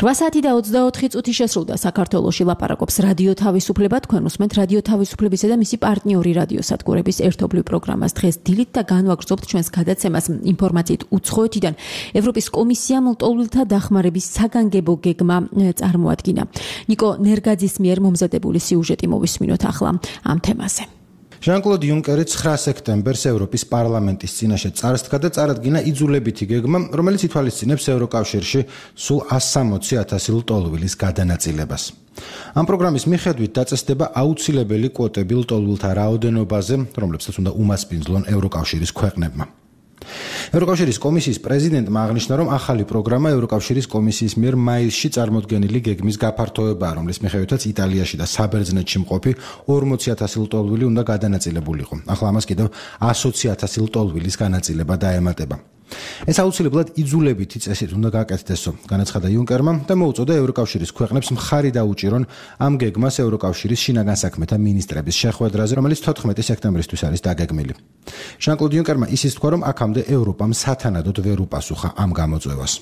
S3: 8 საათი და 24 წუთი შესრულდა საქართველოში ლაპარაკობს რადიო თავისუფლება. თქვენ უსმენთ რადიო თავისუფლებისა და მისი პარტნიორი რადიოსადგურების ერთობლივ პროგრამას. დღეს დილით და განვაგრძობთ ჩვენს გადაცემას ინფორმაციით უცხოეთიდან. ევროპის კომისიამ ლტოლვილთა დახმარების საგანგებო გეგმა წარმოადგინა. ნიკო ნერგაძის მიერ მომზადებული სიუჟეტი მოვისმინოთ ახლა ამ თემაზე.
S17: ჟან-კლოდ იუნკერი 9 სექტემბერს ევროპის პარლამენტის წინაშე წარსდგა და წარადგინა იძულებითი გეგმა, რომელიც ითვალისწინებს ევროკავშირში სულ 160,000 ლტოლვილის გადანაწილებას. ამ პროგრამის მიხედვით დაწესდება აუცილებელი კვოტები ლტოლვილთა რაოდენობაზე, რომლებსაც უნდა უმასპინძლონ ევროკავშირის ქვეყნებმა. ევროკავშირის კომისიის პრეზიდენტმა აღნიშნა, რომ ახალი პროგრამა ევროკავშირის კომისიის მიერ მაისში წარმოდგენილი გეგმის გაფართოებაა, რომლის მიხედვითაც იტალიაში და საბერძნეთში მყოფი 40,000 ლტოლვილი უნდა გადანაწილებულიყო. ახლა ამას კიდევ 120,000 ლტოლვილის განაწილება დაემატება. ეს აუცილებლად იძულებითი წესით უნდა გაკეთდესო, განაცხადა იუნკერმა და მოუწოდა ევროკავშირის ქვეყნებს მხარი დაუჭირონ ამ გეგმას ევროკავშირის შინაგან საქმეთა მინისტრების შეხვედრაზე, რომელიც 14 სექტემბრისთვის არის დაგეგმილი. ჟან-კლოდ იუნკერმა ისიც თქვა, რომ აქამდე ევროპამ სათანადოდ ვერ უპასუხა ამ გამოწვევას.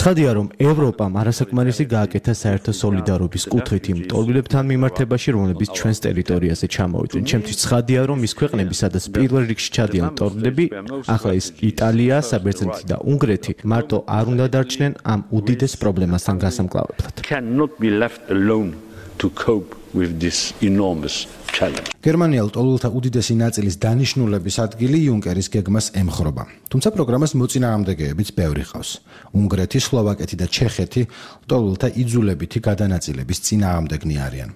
S18: ცხადია, რომ ევროპამ არასაკმარისი გააკეთა საერთო სოლიდარობის კუთხით იმ ლტოლვილებთან მიმართებაში, რომლებიც ჩვენს ტერიტორიაზე ჩამოვიდნენ. ჩემთვის ცხადია, რომ ის ქვეყნები, სადაც პირველ რიგში ჩადიან ლტოლვილები, ახლა ის იტალია, საბერძნეთი და უნგრეთი, მარტო არ უნდა დარჩნენ ამ უდიდეს პრობლემასთან გასამკლავებლად.
S17: გერმანია ლტოლვილთა უდიდესი ნაწილის დანიშნულების ადგილი იუნკერის გეგმას ემხრობა. თუმცა პროგრამას მოწინააღმდეგეებიც ბევრი ყავს. უნგრეთი, სლოვაკეთი და ჩეხეთი ლტოლვილთა იძულებითი გადანაწილების წინააღმდეგნი არიან.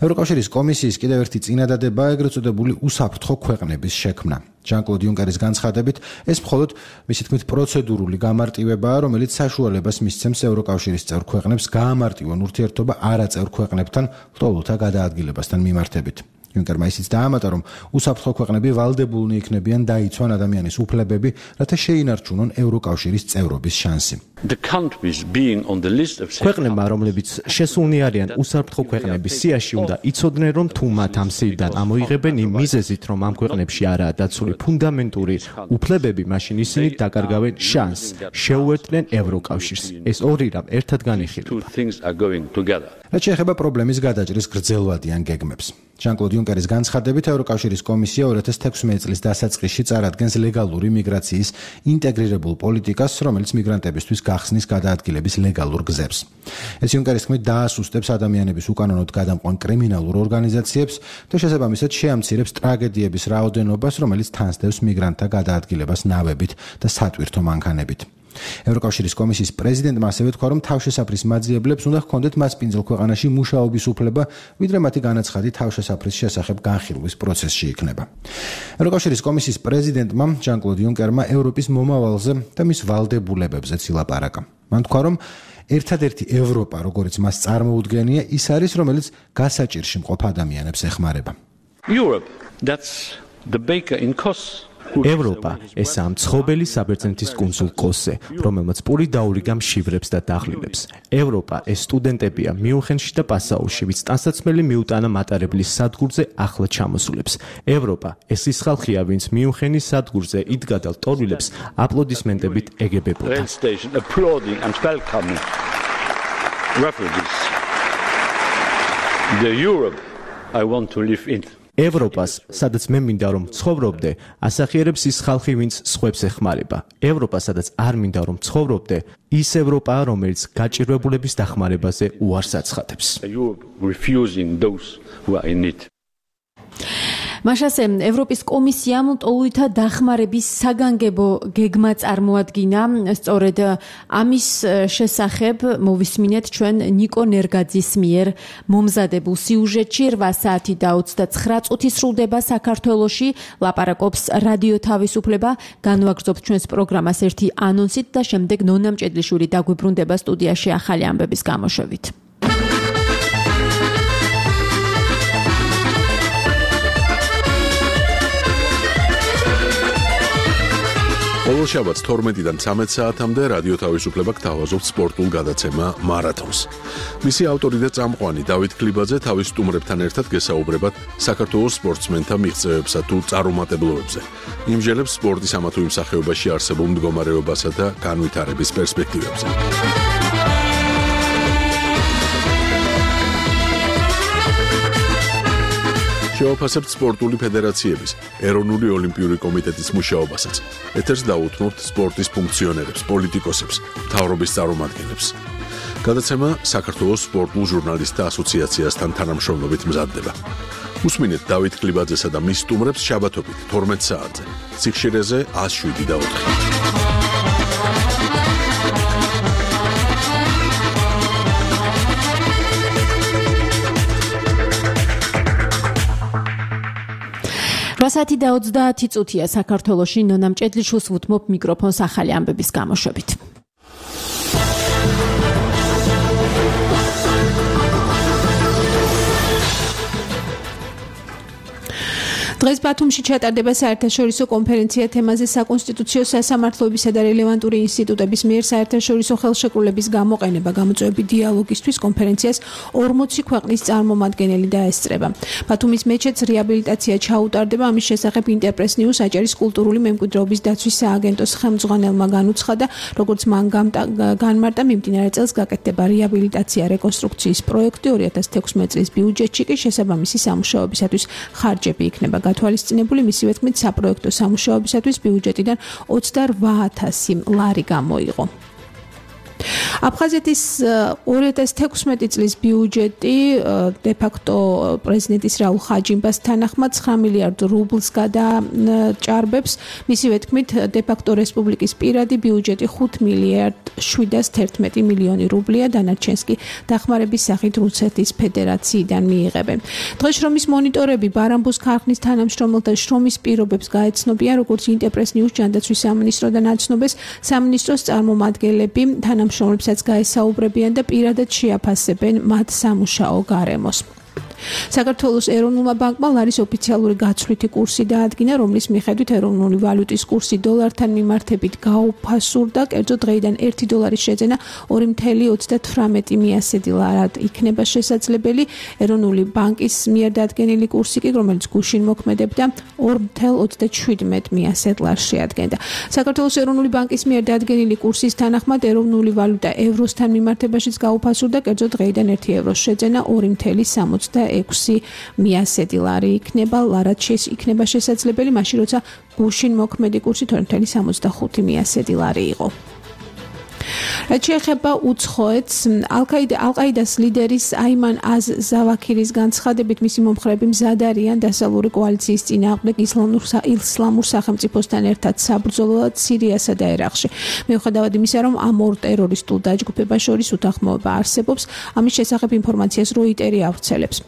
S17: ევროკავშირის კომისიის კიდევ ერთი წინადადებაა ეგრეთ წოდებული უსაფრთხო ქვეყნების შექმნა. ჟან-კლოდ იუნკერის განცხადებით, ეს მხოლოდ მისი თქმით პროცედურული გამარტივებაა, რომელიც საშუალებას მისცემს ევროკავშირის წევრ ქვეყნებს გაამარტივონ ურთიერთობა არაწევრ ქვეყნებთან ლტოლვილთა გადაადგილებასთან მიმართებით. იუნკერმა ისიც დაამატა, რომ უსაფრთხო ქვეყნები ვალდებულნი იქნებიან დაიცვან ადამიანის უფლებები, რათა შეინარჩუნონ ევროკავშირის წევრობის შანსი.
S18: ქვეყნებმა, რომლებიც შესულნი არიან უსაფრთხო ქვეყნების სიაში, უნდა იცოდნენ, რომ თუ მათ ამ სიიდან ამოიღებენ იმ მიზეზით, რომ ამ ქვეყნებში არაა დაცული ფუნდამენტური უფლებები, მაშინ ისინი დაკარგავენ შანსს, შეუერთდნენ ევროკავშირს. ეს ორი რამ ერთად განიხილება.
S17: რაც შეეხება პრობლემის გადაჭრის გრძელვადიან გეგმებს. ჟან-კლოდ იუნკერის განცხადებით, ევროკავშირის კომისია 2016 წლის დასაწყისში წარადგენს ლეგალური მიგრაციის ინტეგრირებულ პოლიტიკას, რომელიც მიგრანტებისთვის გახსნის გადაადგილების ლეგალურ გზებს. ეს იუნკერის თქმით დაასუსტებს ადამიანების უკანონოდ გადამყვან კრიმინალურ ორგანიზაციებს და შესაბამისად შეამცირებს ტრაგედიების რაოდენობას, რომელიც თანსდევს მიგრანტთა გადაადგილებას ნავებით და სატვირთო მანქანებით. ევროკავშირის კომისიის პრეზიდენტმა ასევე თქვა, რომ თავშესაფრის მაძიებლებს უნდა ჰქონდეთ მასპინძელ ქვეყანაში მუშაობის უფლება, ვიდრე მათი განაცხადი თავშესაფრის შესახებ განხილვის პროცესში იქნება. ევროკავშირის კომისიის პრეზიდენტმა ჟან-კლოდ იუნკერმა ევროპის მომავალზე და მის ვალდებულებებზეც ილაპარაკა. მან თქვა, რომ ერთადერთი ევროპა, როგორც მას წარმოუდგენია, ის არის, რომელიც გასაჭირში მყოფ ადამიანებს ეხმარება.
S18: ევროპა ესაა მცხოველი საბერძნეთის კუნძულ კოსზე, რომელმაც პური დაურიგა მშივრებს და დაღლილებს. ევროპა ეს სტუდენტებია მიუნხენში და პასაუში, ვინც ტანსაცმელი მიუტანა მატარებლის სადგურზე ახლა ჩამოსულებს. ევროპა ეს ის ხალხია, ვინც მიუნხენის სადგურზე იდგა და ლტოლვილებს აპლოდისმენტებით ეგებებოდა. ევროპას, სადაც მე მინდა რომ ცხოვრობდე, ასახიერებს ის ხალხი, ვინც სხვებს ეხმარება. ევროპა, სადაც არ მინდა რომ ცხოვრობდე, ის ევროპაა, რომელიც გაჭირვებულების დახმარებაზე უარს აცხადებს.
S3: მაშასე ევროპის კომისიამ ტოლუითა დახმარების საგანგებო გეგმა წარმოადგინა. სწორედ ამის შესახებ მოვისმინეთ ჩვენ ნიკო ნერგაძის მიერ მომზადებულ სიუჟეტში. 8 საათი და 29 წუთი სრულდება საქართველოში. ლაპარაკობს რადიო თავისუფლება. განვაგრძობთ ჩვენს პროგრამას ერთი ანონსით და შემდეგ ნონა მჭედლიშვილი დაგვიბრუნდება სტუდიაში ახალი ამბების გამოშვებით.
S1: ყოველ შაბათს 12-დან 13 საათამდე რადიო თავისუფლება გთავაზობთ სპორტულ გადაცემა მარათონს. მისი ავტორი და წამყვანი დავით ქლიბაძე თავის სტუმრებთან ერთად გესაუბრებათ საქართველოს სპორტსმენთა მიღწევებსა თუ წარუმატებლობებზე. იმჟელებს სპორტის ამა თუ იმ სახეობაში არსებულ მდგომარეობასა და განვითარების პერსპექტივებზე. შევაფასებთ სპორტული ფედერაციების, ეროვნული ოლიმპიური კომიტეტის მუშაობასაც. ეთერს დაუთმობთ სპორტის ფუნქციონერებს, პოლიტიკოსებს, მთავრობის წარმომადგენლებს. გადაცემა საქართველოს სპორტულ ჟურნალისტთა ასოციაციასთან თანამშრომლობით მზადდება. უსმინეთ დავით ქლიბაძესა და მის სტუმრებს შაბათობით 12 საათზე. სიხშირეზე 107.4.
S3: რასათი და 30 წუთია საქართველოში ნონა მჭედლიშვილს ვუთმობ მიკროფონს ახალი ამბების გამოშვებით. დღეს ბათუმში ჩატარდება საერთაშორისო კონფერენცია თემაზე საკონსტიტუციო სასამართლოებისა და რელევანტური ინსტიტუტების მიერ საერთაშორისო ხელშეკრულების გამოყენება გამოწვევები დიალოგისთვის კონფერენციას 40 ქვეყნის წარმომადგენელი დაესწრება. ბათუმის მეჩეთს რეაბილიტაცია ჩაუტარდება, ამის შესახებ ინტერპრეს ნიუს აჭარის კულტურული მემკვიდრეობის დაცვის სააგენტოს ხელმძღვანელმა განუცხადა, როგორც მან განმარტა, მიმდინარე წელს გაკეთდება რეაბილიტაცია რეკონსტრუქციის პროექტი 2016 წლის ბიუჯეტში კი შესაბამისი სამუშაოებისათვის ხარჯები იქნება თვალისწინებული. მისივე თქმით, საპროექტო სამუშაოებისათვის ბიუჯეტიდან 28,000 ლარი გამოიღო. აფხაზეთის 2016 წლის ბიუჯეტი დე-ფაქტო პრეზიდენტის რაულ ხაჯიმბას თანახმად 9 მილიარდ რუბლს გადაჭარბებს. მისივე თქმით, დე-ფაქტო რესპუბლიკის პირადი ბიუჯეტი 5 მილიარდ 711 მილიონი რუბლია, დანარჩენს კი დახმარების სახით რუსეთის ფედერაციიდან მიიღებენ. დღეს შრომის მონიტორები ბარამბუს ქარხნის თანამშრომელთა შრომის პირობებს გაეცნობიან, როგორც ინტერპრეს ნიუს ჯანდაცვის სამინისტროდან აცნობეს, სამინისტროს წარმომადგენლები თანამშრომლებსაც გაესაუბრებიან და პირადად შეაფასებენ მათ სამუშაო გარემოს. საქართველოს ეროვნულმა ბანკმა ლარის ოფიციალური გაცვლითი კურსი დაადგინა, რომლის მიხედვით ეროვნული ვალუტის კურსი დოლართან მიმართებით გაუფასურდა, კერძო დღეიდან 1 დოლარის შეძენა 2.38 მიასედი ლარად იქნება შესაძლებელი. ეროვნული ბანკის მიერ დადგენილი კურსი კი, რომელიც გუშინ მოქმედებდა, 2.37 მიასედ ლარს შეადგენდა. საქართველოს ეროვნული ბანკის მიერ დადგენილი კურსის თანახმად ეროვნული ვალუტა ევროსთან მიმართებაშიც გაუფასურდა, კერძო დღეიდან 1 ევროს შეძენა 2.66 მიასედი ლარი იქნება, ლარად იქნება შესაძლებელი, მაშინ როცა გუშინ მოქმედი კურსი 2.65 მიასედი ლარი იყო. რაც შეეხება უცხოეთს, ალ-ყაიდას ლიდერის აიმან ზავაქირის განცხადებით, მისი მომხრეები მზად არიან დასავლური კოალიციის წინააღმდეგ ისლამურ სახელმწიფოსთან ერთად საბრძოლოდ სირიასა და ერაყში. მიუხედავად იმისა, რომ ამ ორ ტერორისტულ დაჯგუფებას შორის უთანხმოება არსებობს, ამის შესახებ ინფორმაციას როიტერი ავრცელებს.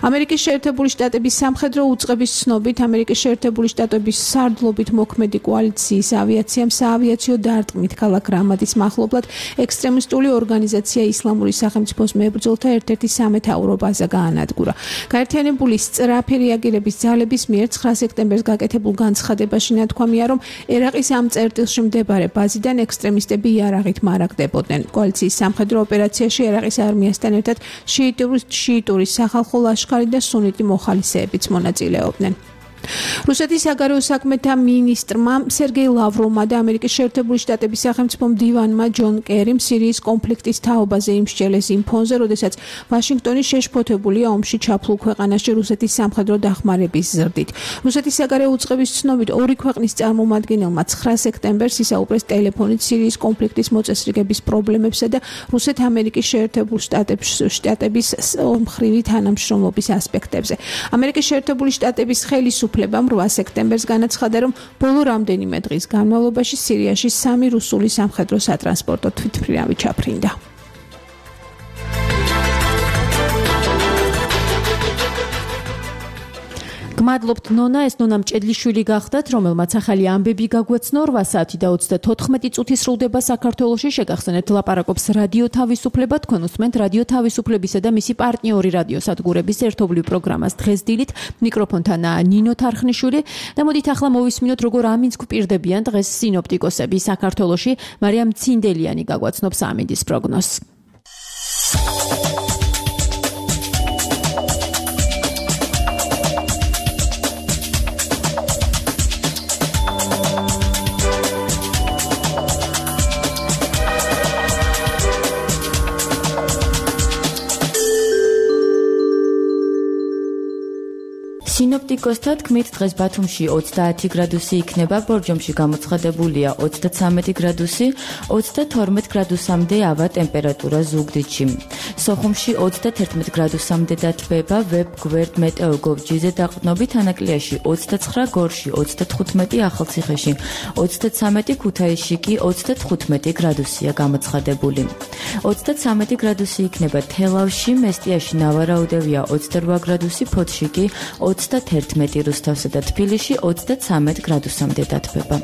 S3: ამერიკის შეერთებული შტატების სამხედრო უწყების ცნობით, ამერიკის შეერთებული შტატების სარდლობით მოქმედი კოალიციის ავიაციამ საავიაციო დარტყმით ქალაქ რამადის მახლობლად ექსტრემისტული ორგანიზაცია ისლამური სახელმწიფოს მებრძოლთა ერთ-ერთი სამეთაურო ბაზა გაანადგურა. გაერთიანებული სწრაფი რეაგირების ძალების მიერ 9 სექტემბერს გაკეთებულ განცხადებაში ნათქვამია, რომ ერაყის ამ წერტილში მდებარე ბაზიდან ექსტრემისტები იარაღით მარაგდებოდნენ. კოალიციის სამხედრო ოპერაციაში ერაყის არმიასთან ერთად შიიტური სახალხო ლაშქარი და სუნიტი მოხალისეებიც მონაწილეობდნენ.
S2: რუსეთის საგარეო საქმეთა მინისტრმა სერგეი ლავროვმა და ამერიკის შეერთებული შტატების სახელმწიფო მდივანმა ჯონ კერიმ სირიის კონფლიქტის თაობაზე იმსჯელეს იმ ფონზე, როდესაც ვაშინგტონი შეშფოთებულია ომში ჩაფლულ ქვეყანაში რუსეთის სამხედრო დახმარების ზრდით. რუსეთის საგარეო უწყების ცნობით ორი ქვეყნის წარმომადგენელმა 9 სექტემბერს ისაუბრეს ტელეფონით სირიის კონფლიქტის მოწესრიგების პრობლემებსა და რუსეთ-ამერიკის შეერთებულ შტატების ომხრივი თანამშრომლობის ასპექტებზე. ამერიკის შეერთებული შტატების ხელისუფლებამ 8 სექტემბერს განაცხადა, რომ ბოლო რამდენიმე დღის განმავლობაში სირიაში 3 რუსული სამხედრო სატრანსპორტო თვითმფრინავი ჩაფრინდა.
S3: გმადლობთ ნონა, ეს ნონა მჭედლიშვილი გახდათ, რომელმაც ახალი ამბები გაგვეცნო 8 საათი და 34 წუთი სრულდება საქართველოში. შეგახსენებთ, ლაპარაკობს რადიო თავისუფლება, თქვენ უსმენთ რადიო თავისუფლებისა და მისი პარტნიორი რადიოსადგურების ერთობლივ პროგრამას დღეს დილით. მიკროფონთან ნინო თარხნიშვილი და მოდით ახლა მოვისმინოთ, როგორ ამინდს გვპირდებიან დღეს სინოპტიკოსები საქართველოში. მარიამ ცინდელიანი გაგვაცნობს ამინდის პროგნოზს. სინოპტიკოსთა თქმით, დღეს ბათუმში 30 გრადუსი იქნება, ბორჯომში გამოცხადებულია 33 გრადუსი, 32 გრადუსამდე ავა ტემპერატურა ზუგდიდში. სოხუმში 31 გრადუსამდე დათბება, ვებ-გვერდ მეტეოგოვჯიზე დაყრდნობით, ანაკლიაში 29, გორში 35, ახალციხეში 33, ქუთაისში კი 35 გრადუსია გამოცხადებული. 33 გრადუსი იქნება თელავში, მესტიაში ნავარაუდევია 28 გრადუსი, ფოთში კი 31 რუსთავსა და თბილისში 33 გრადუსამდე დათბება.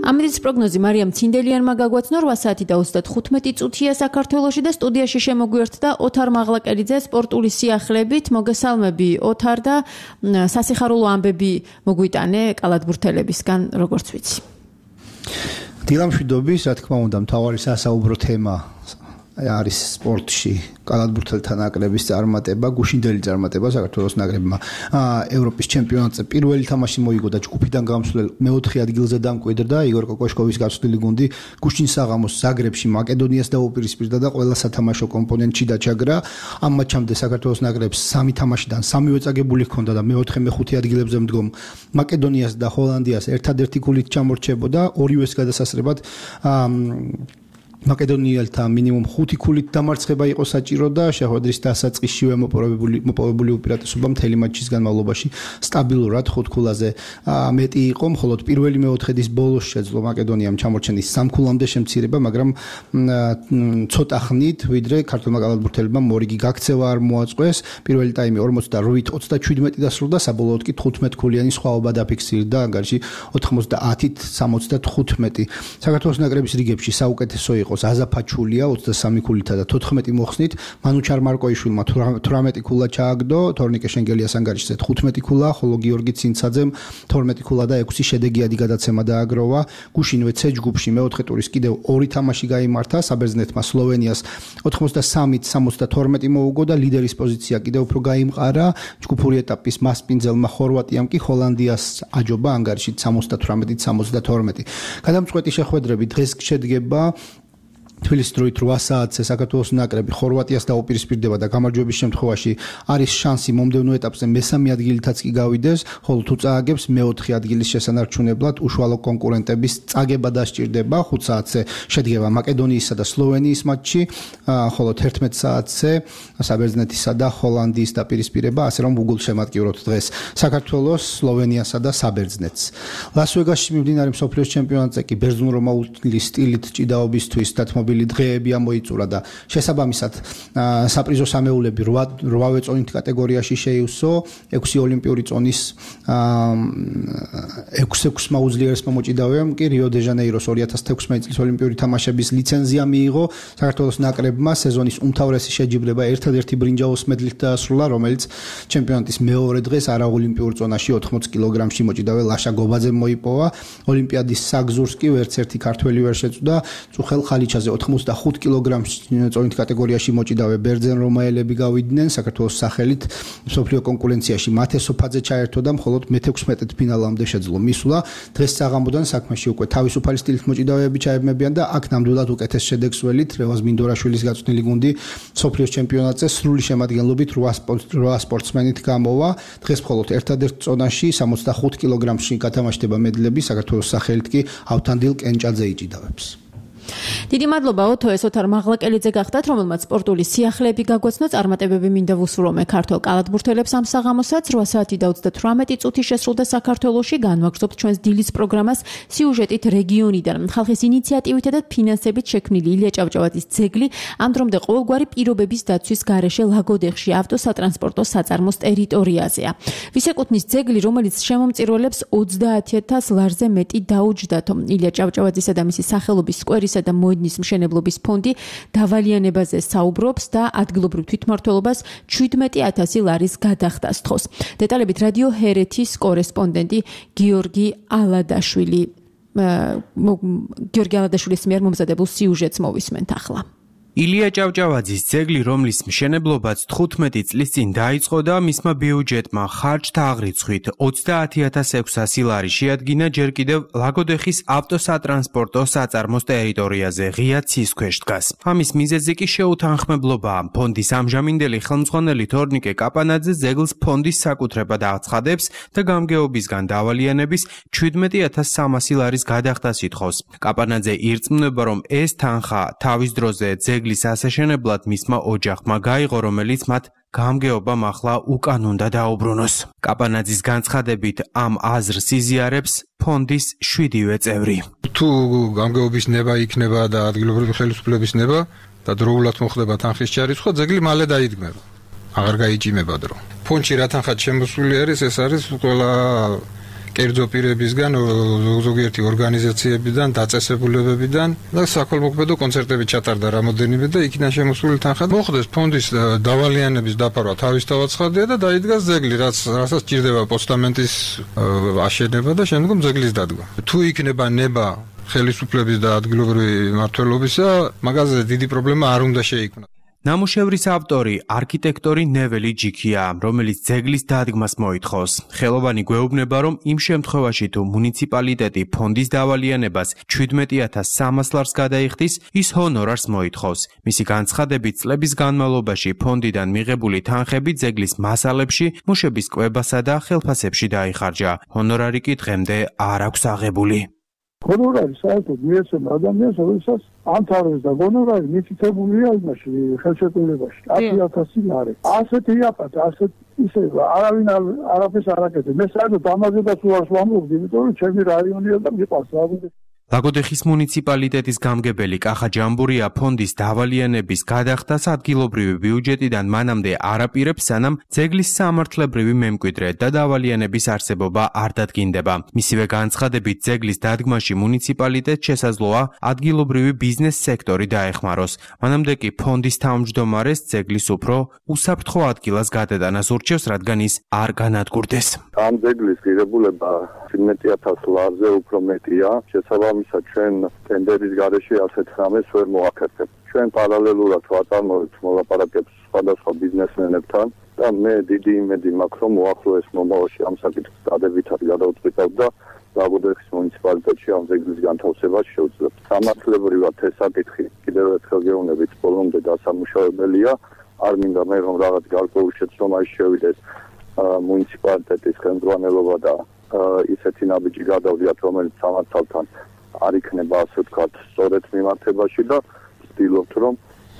S3: ამინდის პროგნოზი მარიამ ცინდელიანმა გაგვაცნო 8 საათი და 35 წუთია საქართველოში და სტუდიაში შემოგვიერთდა ოთარ მაღლაკერიძე სპორტული სიახლებით. მოგესალმები ოთარ და სასიხარულო ამბები მოგვიტანე კალათბურთელებისგან, როგორც ვიცი.
S19: დილამშვიდობის, რა თქმა უნდა, მთავარი სასაუბრო თემა არის სპორტში კალათბურთელთა ნაკრების წარმატება, გუშინდელი წარმატება საქართველოს ნაკრებმა ევროპის ჩემპიონატზე პირველი თამაში მოიგო და ჯგუფიდან გამოსვლელ მეოთხე ადგილზე დამკვიდრდა. იგორ კოკოშკოვის გაცვლილი გუნდი გუშინ საღამოს ზაგრებში მაკედონიას დაუპირისპირდა და ყველა სათამაშო კომპონენტში დაჩაგრა. ამ მატჩამდე საქართველოს ნაკრებს 3 თამაშიდან 3-ვე წაგებული ჰქონდა და მეოთხე მეხუთე ადგილებზე მდგომ მაკედონიას და ჰოლანდიას ერთადერთი გოლით ჩამორჩებოდა. ორივეს გადასასრებად მაკედონიელთა მინიმუმ 5 ქულით დამარცხება იყო საჭირო და შეხვედრის დასაწყისშივე მოპოვებული უპირატესობა მთელი მატჩის განმავლობაში სტაბილურად 5 ქულაზე მეტი იყო, მხოლოდ პირველი მეოთხედის ბოლოს შეძლო მაკედონიამ ჩამორჩენის 3 ქულამდე შემცირება, მაგრამ ცოტა ხნით, ვიდრე ქართულმა კალათბურთელებმა მორიგი გაქცევა არ მოაწყვეს. პირველი ტაიმი 48-37 დასრულდა, საბოლოოდ კი 15 ქულიანი სხვაობა დაფიქსირდა, ანგარიში 90-ით 75. საქართველოს ნაკრების რიგებში საუკეთესო იყო აზა ფაჩულია 23 ქულითა და 14 მოხსნით, მანუჩარ მარკოიშვილმა 18 ქულა ჩააგდო, თორნიკე შენგელიას ანგარიშზე 15 ქულა, ხოლო გიორგი ცინცაძემ 12 ქულა და 6 შედეგიანი გადაცემა დააგროვა. გუშინვე C ჯგუფში მეოთხე ტურის კიდევ 2 თამაში გაიმართა, საბერძნეთმა სლოვენიას 83-72 მოუგო და ლიდერის პოზიცია კიდევ უფრო გაიმყარა. ჯგუფური ეტაპის მასპინძელმა ხორვატიამ კი ჰოლანდიას აჯობა ანგარიშით 78-72. გადამწყვეტი შეხვედრები დღეს შედგება. თბილისის დროით 8 საათზე საქართველოს ნაკრები ხორვატიას დაუპირისპირდება და გამარჯვების შემთხვევაში არის შანსი მომდევნო ეტაპზე მესამე ადგილითაც კი გავიდეს, ხოლო თუ წააგებს მეოთხე ადგილის შესანარჩუნებლად უშუალო კონკურენტების წაგება დასჭირდება. 5 საათზე შედგება მაკედონიისა და სლოვენიის მატჩი, ხოლო 11 საათზე საბერძნეთისა და ჰოლანდიის დაპირისპირება, ასე რომ უგულშემატკივროთ დღეს საქართველოს, სლოვენიასა და საბერძნეთს. ლას-ვეგასში მიმდინარე მსოფლიოს ჩემპიონატზე კი ბერძნულ-რომაული სტილით ჭიდაობისთვის დათმობილი დღეები ამოიწურა და შესაბამისად საპრიზო სამეულები 8-ვე წონით კატეგორიაში შეივსო, 6 ოლიმპიური წონის 6-6-მა უძლიერესმა მოჭიდავეამ კი რიო-დე-ჟანეიროს 2016 წლის ოლიმპიური თამაშების ლიცენზია მიიღო. საქართველოს ნაკრებმა სეზონის უმთავრესი შეჯიბრება ერთადერთი ბრინჯაოს მედლით დაასრულა, რომელიც ჩემპიონატის მეორე დღეს არაოლიმპიურ წონაში 80 კილოგრამში მოჭიდავე ლაშა გობაძემ მოიპოვა. ოლიმპიადის საგზურს კი ვერც ერთი ქართველი ვერ შეწვდა. წუხელ ხალიჩაზე 85 კილოგრამს წონით კატეგორიაში მოჭიდავე ბერძენ რომაელები გავიდნენ საქართველოს სახელით მსოფლიო კონკურენციაში. მათე სოფაძე ჩაერთო და მხოლოდ მე-16 ფინალამდე შეძლო მისვლა. დღეს საღამოდან საქმეში უკვე თავისუფალი სტილით მოჭიდავეები ჩაებმებიან და აქ ნამდვილად უკეთეს შედეგს ველით რევაზ მინდორაშვილის გაწვრთნილი გუნდი მსოფლიოს ჩემპიონატზე სრული შემადგენლობით 8 სპორტსმენით გამოვა. დღეს მხოლოდ ერთადერთ წონაში 65 კილოგრამში გათამაშდება მედლები საქართველოს სახელით კი ავთანდილ კენჭაძე იჭიდავებს.
S3: დიდი მადლობა ოთო ესოთარ მაღლაკელიძე გახდათ, რომელმაც სპორტული სიახლეები გაგვაცნო. წარმატებები მინდა ვუსურვო ქართველ კალათბურთელებს ამ საღამოსაც 8 საათი და 38 წუთი შესრულდა საქართველოში. განვაგრძობთ ჩვენს დილის პროგრამას სიუჟეტით რეგიონიდან. ხალხის ინიციატივითა და ფინანსებით შექმნილი ილია ჭავჭავაძის ძეგლი ამ დრომდე ყოველგვარი პირობების დაცვის გარეშე ლაგოდეხში ავტოსატრანსპორტო საწარმოს ტერიტორიაზეა. ვისეკუთვნის ძეგლი, რომელიც შემომწირველებს 30,000 ლარზე მეტი დაუჯდათ. ილია ჭავჭავაძისა და მისი სახელობის სკვერის და მოედნის მშენებლობის ფონდი დავალიანებაზე საუბრობს და ადგილობრივ თვითმმართველობას 17,000 ლარის გადახდას თხოვს. დეტალებით რადიო ჰერეთის კორესპონდენტი გიორგი ალადაშვილის მიერ მომზადებულ სიუჟეტს მოვისმენთ ახლა.
S20: ილია ჭავჭავაძის ძეგლი, რომლის მშენებლობაც 15 წლის წინ დაიწყო და მისმა ბიუჯეტმა ხარჯთა აღრიცხვით 30,600 ლარი შეადგინა, ჯერ კიდევ ლაგოდეხის ავტოსატრანსპორტო საწარმოს ტერიტორიაზე ღია ცის ქვეშ დგას. ამის მიზეზი კი შეუთანხმებლობაა. ფონდის ამჟამინდელი ხელმძღვანელი თორნიკე კაპანაძე ძეგლს ფონდის საკუთრებად აცხადებს და გამგეობისგან დავალიანების 17,300 ლარის გადახდას ითხოვს. კაპანაძე ირწმუნება, რომ ეს თანხა თავის დროზე ძეგლის ასაშენებლად მისმა ოჯახმა გაიღო, რომელიც მათ გამგეობამ ახლა უკან უნდა დაუბრუნოს. კაპანაძის განცხადებით ამ აზრს იზიარებს ფონდის 7-ვე წევრი.
S21: თუ გამგეობის ნება იქნება და ადგილობრივი ხელისუფლების ნება და დროულად მოხდება თანხის ჩარიცხვა, ძეგლი მალე დაიდგმება. აღარ გაიჭიმება დრო. ფონდში რა თანხად შემოსული არის, ეს არის ყველა კერძო პირებისგან, ზოგიერთი ორგანიზაციებიდან, დაწესებულებებიდან და საქველმოქმედო კონცერტები ჩატარდა რამოდენიმე და იქიდან შემოსული თანხა მოხდეს ფონდის დავალიანების დაფარვა თავისთავად ცხადია და დაიდგას ძეგლი, რასაც ჭირდება პოსტამენტის აშენება და შემდგომ ძეგლის დადგმა. თუ იქნება ნება ხელისუფლების და ადგილობრივი მმართველობისა, მაგაზე დიდი პრობლემა არ უნდა შეიქმნას.
S20: ნამუშევრის ავტორი არქიტექტორი ნეველი ჯიქია, რომელიც ძეგლის დადგმას მოითხოვს. ხელოვანი გვეუბნება, რომ იმ შემთხვევაში თუ მუნიციპალიტეტი ფონდის დავალიანებას 17,300 ლარს გადაიხდის, ის ჰონორარს მოითხოვს. მისი განცხადებით, წლების განმავლობაში ფონდიდან მიღებული თანხები ძეგლის მასალებში, მუშების კვებასა და ხელფასებში დაიხარჯა. ჰონორარი კი დღემდე არ აქვს აღებული.
S22: ჰონორარი საერთოდ მიეცემა ადამიანს, რომელსაც ამთავრებს და ჰონორარი მითითებულია იმაში ხელშეკრულებაში 10,000 ლარი. ასეთი იაპატა, ასეთ ისე არავინ არაფერს არ აკეთებს. მე საერთოდ ამაზედაც უარს ვამბობ, იმიტომ რომ ჩემი რაიონია და მიყვარს ლაგოდეხი.
S20: ლაგოდეხის მუნიციპალიტეტის გამგებელი კახა ჯამბურია ფონდის დავალიანების გადახდას ადგილობრივი ბიუჯეტიდან მანამდე არ აპირებს, სანამ ძეგლის სამართლებრივი მემკვიდრე და დავალიანების არსებობა არ დადგინდება. მისივე განცხადებით, ძეგლის დადგმაში მუნიციპალიტეტს შესაძლოა ადგილობრივი ბიზნეს სექტორი დაეხმაროს. მანამდე კი ფონდის თავმჯდომარეს ძეგლის უფრო უსაფრთხო ადგილას გადატანას ურჩევს, რადგან ის არ განადგურდეს.
S23: ამ ძეგლის ღირებულება 17,000 ლარზე უფრო მეტია. შესაბამისად, ჩვენ ტენდერის გარეშე ასეთ რამეს ვერ მოახერხებთ. ჩვენ პარალელურად ვაწარმოებთ მოლაპარაკებებს სხვადასხვა ბიზნესმენებთან და მე დიდი იმედი მაქვს, რომ უახლოეს მომავალში ამ საკითხს დადებითად გადავწყვიტავ და ლაგოდეხის მუნიციპალიტეტში ამ ძეგლის განთავსებას შევძლებთ. სამართლებრივად ეს საკითხი კიდევ ერთხელ გეუბნებით, ბოლომდე დასამუშავებელია. არ მინდა მე რომ რაღაც გარკვეულ შეცდომაში შევიდეს მუნიციპალიტეტის ხელმძღვანელობა და ისეთი ნაბიჯი გადავდიათ, რომელიც სამართალთან არ იქნება, ასე ვთქვათ, სწორედ მიმართებაში და ვცდილობთ, რომ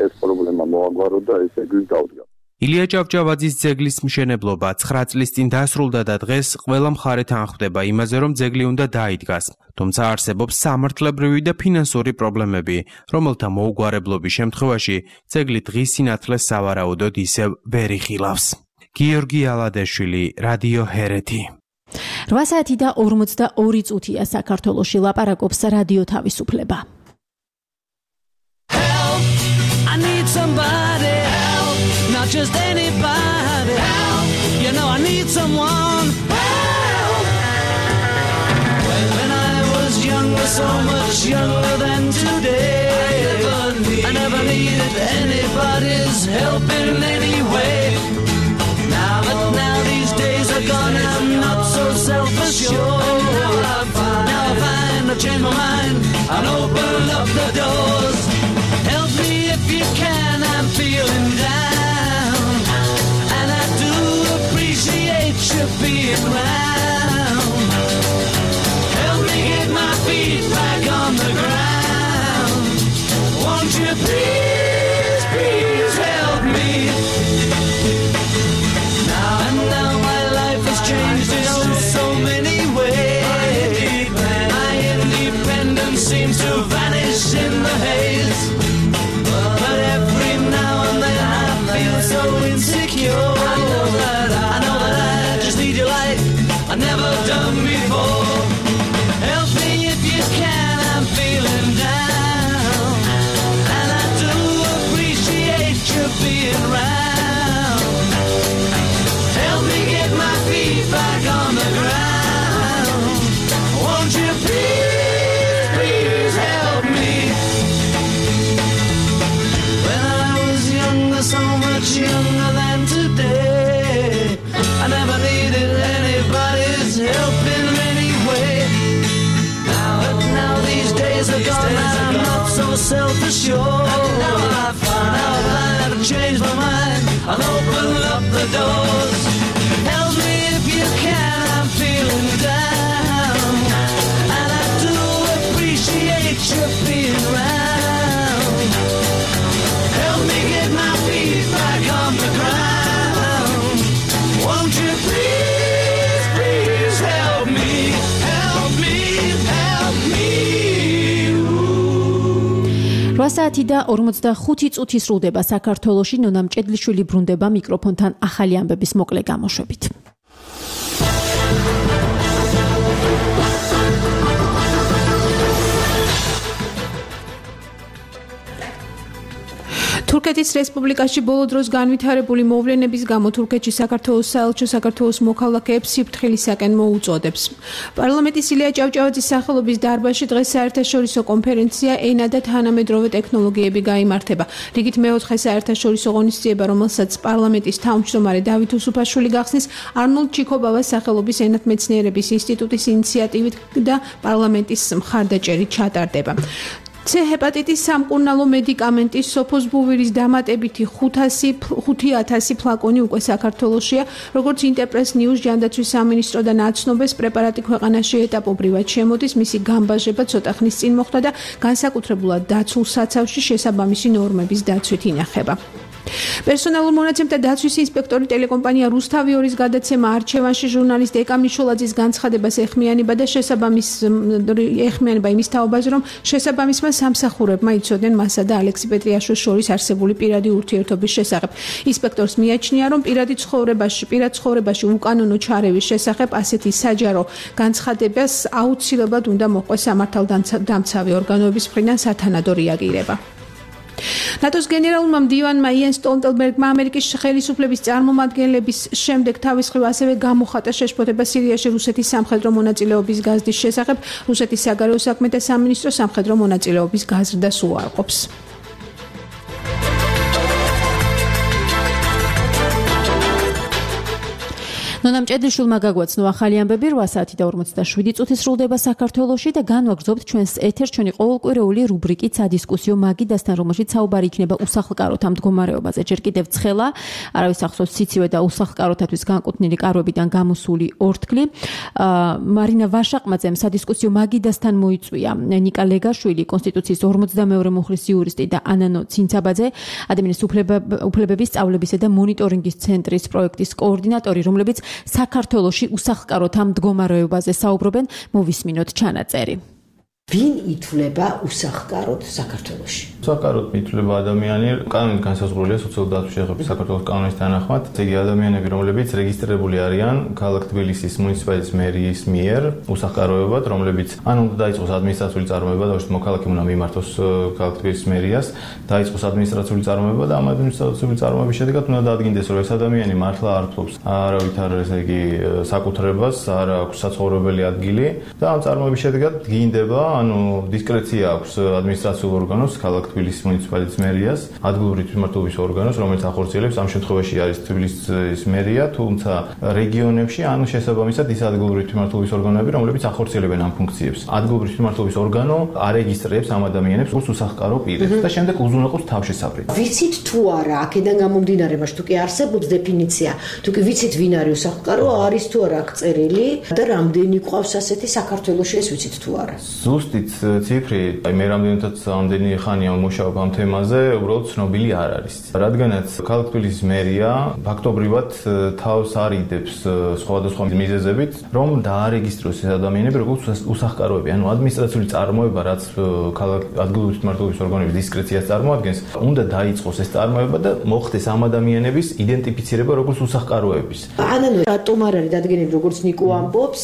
S23: ეს პრობლემა მოაგვარო და ეს ძეგლი დავდგა.
S20: ილია ჭავჭავაძის ძეგლის მშენებლობა 9 წლის წინ დასრულდა და დღეს ყველა მხარე თანხმდება იმაზე, რომ ძეგლი უნდა დაიდგას. თუმცა არსებობს სამართლებრივი და ფინანსური პრობლემები, რომელთა მოუგვარებლობის შემთხვევაში ძეგლი დღის სინათლეს სავარაუდოდ ისევ ვერ იხილავს. გიორგი ალადაშვილი, რადიო ჰერეთი.
S3: 8 საათი და 42 წუთია საქართველოში, ლაპარაკობს რადიო თავისუფლება.
S24: I need somebody help, not just anybody help. You know I need someone help. When I was younger, so much younger than today, I never anybody's help in any way. Now these days are gone, I'm not so self-assured. Now I find I've changed my mind and open up the doors. Help me if you can, I'm feeling down, and I do appreciate you being round. Help me get my feet back on the ground. Won't you please, please help me? Now my life has changed in so many ways. My independence seems to vanish in the haze. But every now and then I feel so insecure. I know that I just need your light, I've never done before. Help me if you can, I'm feeling down, and I do appreciate you being around. Help me get my feet back on the ground. Won't you please, please help me? When I was younger, so much younger than today, I never needed anybody's help in any way. Now these days are gone, I'm not so self-assured. Now I find I've changed my mind, I'll open up the doors. Help me if you can, I'm feeling down, and I do appreciate you being around. Help me get my feet back on the ground. Won't you please, please help me? Help me, help me.
S3: 8 და 45 წუთი სრულდება საქართველოში. ნონა მჭედლიშვილი ბრუნდება მიკროფონთან ახალი ამბების მოკლე გამოშვებით.
S2: თურქეთის რესპუბლიკაში ბოლო დროს განვითარებული მოვლენების გამო თურქეთში საქართველოს საელჩო საქართველოს მოქალაქეებს სიფრთხილისაკენ მოუწოდებს. პარლამენტის ილია ჭავჭავაძის სახელობის დარბაზში დღეს საერთაშორისო კონფერენცია ენა და თანამედროვე ტექნოლოგიები გაიმართება. რიგით მეოთხე საერთაშორისო ღონისძიება, რომელსაც პარლამენტის თავმჯდომარე დავით უსუფაშვილი გახსნის, არნოლდ ჩიქობავას სახელობის ენათმეცნიერების ინსტიტუტის ინიციატივით და პარლამენტის მხარდაჭერით ჩატარდება. C ჰეპატიტის სამკურნალო მედიკამენტის სოფოსბუვირის დამატებითი 5,000 ფლაკონი უკვე საქართველოშია, როგორც ინტერპრეს ნიუს ჯანდაცვის სამინისტროდან აცნობეს, პრეპარატი ქვეყანაში ეტაპობრივად შემოდის, მისი გამბაჟება ცოტა ხნის წინ მოხდა და განსაკუთრებულად დაცულ საცავში შესაბამისი ნორმების დაცვით ინახება. პერსონალურ მონაცემთა დაცვის ინსპექტორი ტელეკომპანია რუსთავი 2-ის გადაცემა არჩევანში ჟურნალისტ ეკა მიშულაძის განცხადებას ეხმიანება და ეხმიანება იმის თაობაზე, რომ შესაბამისმა სამსახურებმა იცოდნენ მასა და ალექსი პეტრიაშვილს შორის არსებული პირადი ურთიერთობის შესახებ. ინსპექტორს მიაჩნია, რომ პირად ცხოვრებაში უკანონო ჩარევის შესახებ ასეთი საჯარო განცხადებას აუცილებლად უნდა მოჰყვეს სამართალდამცავი ორგანოების მხრიდან სათანადო რეაგირება. ნატოს გენერალურმა მდივანმა იენ სტოლტენბერგმა ამერიკის ხელისუფლების წარმომადგენლების შემდეგ თავის მხრივ ასევე გამოხატა შეშფოთება სირიაში რუსეთის სამხედრო მონაწილეობის გაზრდის შესახებ. რუსეთის საგარეო საქმეთა სამინისტრო სამხედრო მონაწილეობის გაზრდას უარყოფს. ნონა მჭედლიშვილმა გაგვაცნო ახალი ამბები. 8 და 47 წუთი სრულდება საქართველოში და განვაგრძობთ ჩვენს ეთერს ჩვენი ყოველკვირეული რუბრიკით სადისკუსიო მაგიდასთან, რომელშიც საუბარი იქნება უსახლკაროთა მდგომარეობაზე. ჯერ კიდევ ცხელა, არავის ახსოვს სიცივე და უსახლკაროთათვის განკუთვნილი კარვებიდან გამოსული ორთქლი. მარინა ვაშაყმაძემ სადისკუსიო მაგიდასთან მოიწვია ნიკა ლეგაშვილი, კონსტიტუციის 42 მუხლის იურისტი და ანანო ცინცაბაძე, ადამიანის უფლებების სწავლებისა და მონიტორინგის ცენტრის პროექტის კოორდინატორი, რომლებიც საქართველოში უსახლკაროთა მდგომარეობაზე საუბრობენ. მოვისმინოთ ჩანაწერი.
S5: ვინ ითვლება უსახლკაროდ საქართველოში?
S6: უსახლკაროდ ითვლება ადამიანი კანონით განსაზღვრულია სოციალური დაცვის შეღებების საქართველოს კანონის თანახმად. ესე იგი ადამიანები, რომლებიც რეგისტრირებული არიან ქალაქ თბილისის მუნიციპალიტეტის მერიის მიერ უსახლკაროებად, რომლებიც ან უნდა დაიწყოს ადმინისტრაციული წარმოება და მოქალაქე უნდა მიმართოს ქალაქ თბილისის მერიას, დაიწყოს ადმინისტრაციული წარმოება და ამ ადმინისტრაციული წარმოების შედეგად უნდა დაადგინდეს, რომ ეს ადამიანი მართლა არ ფლობს არავითარ ესე იგი საკუთრებას, არ აქვს საცხოვრებელი ადგილი და ამ წარმოების შედეგად დგინდება ანუ დისკრეცია აქვს ადმინისტრაციულ ორგანოს, ქალაქ თბილისის მუნიციპალიტეტის მერიას, ადგილობრივი თვითმმართველობის ორგანოს, რომელიც ახორციელებს ამ შემთხვევაში არის თბილისის მერია, თუმცა რეგიონებში ანუ შესაბამისად ის ადგილობრივი თვითმმართველობის ორგანოები, რომლებიც ახორციელებენ ამ ფუნქციებს. ადგილობრივი თვითმმართველობის ორგანო არეგისტრირებს ამ ადამიანებს როგორც უსახკარო პირებს და შემდეგ უზრუნველყოფს თავშესაფრით.
S5: ვიცით თუ არა, აქედან გამომდინარე, მაგრამ თუ კი არსებობს დეფინიცია, თუ კი ვიცით ვინ არის უსახკარო, არის თუ არა აქ წერილი და რამდენი ყავს ასეთი საქართველოში, ეს ვიცით თუ არა.
S6: ზუსტი ციფრი, მე რამდენი ხანია ვმუშაობ ამ თემაზე, უბრალოდ ცნობილი არ არის. რადგანაც ქალაქ თბილისის მერია ფაქტობრივად თავს არიდებს სხვადასხვა მიზეზებით, რომ დაარეგისტროს ეს ადამიანები როგორც უსახკაროები. ანუ ადმინისტრაციული წარმოება, რაც ადგილობრივი თვითმმართველობის ორგანოების დისკრეციას წარმოადგენს, უნდა დაიწყოს ეს წარმოება და მოხდეს ამ ადამიანების იდენტიფიცირება როგორც უსახკაროების.
S5: ანუ რატომ არ არის დადგენილი როგორც ნიკო ამბობს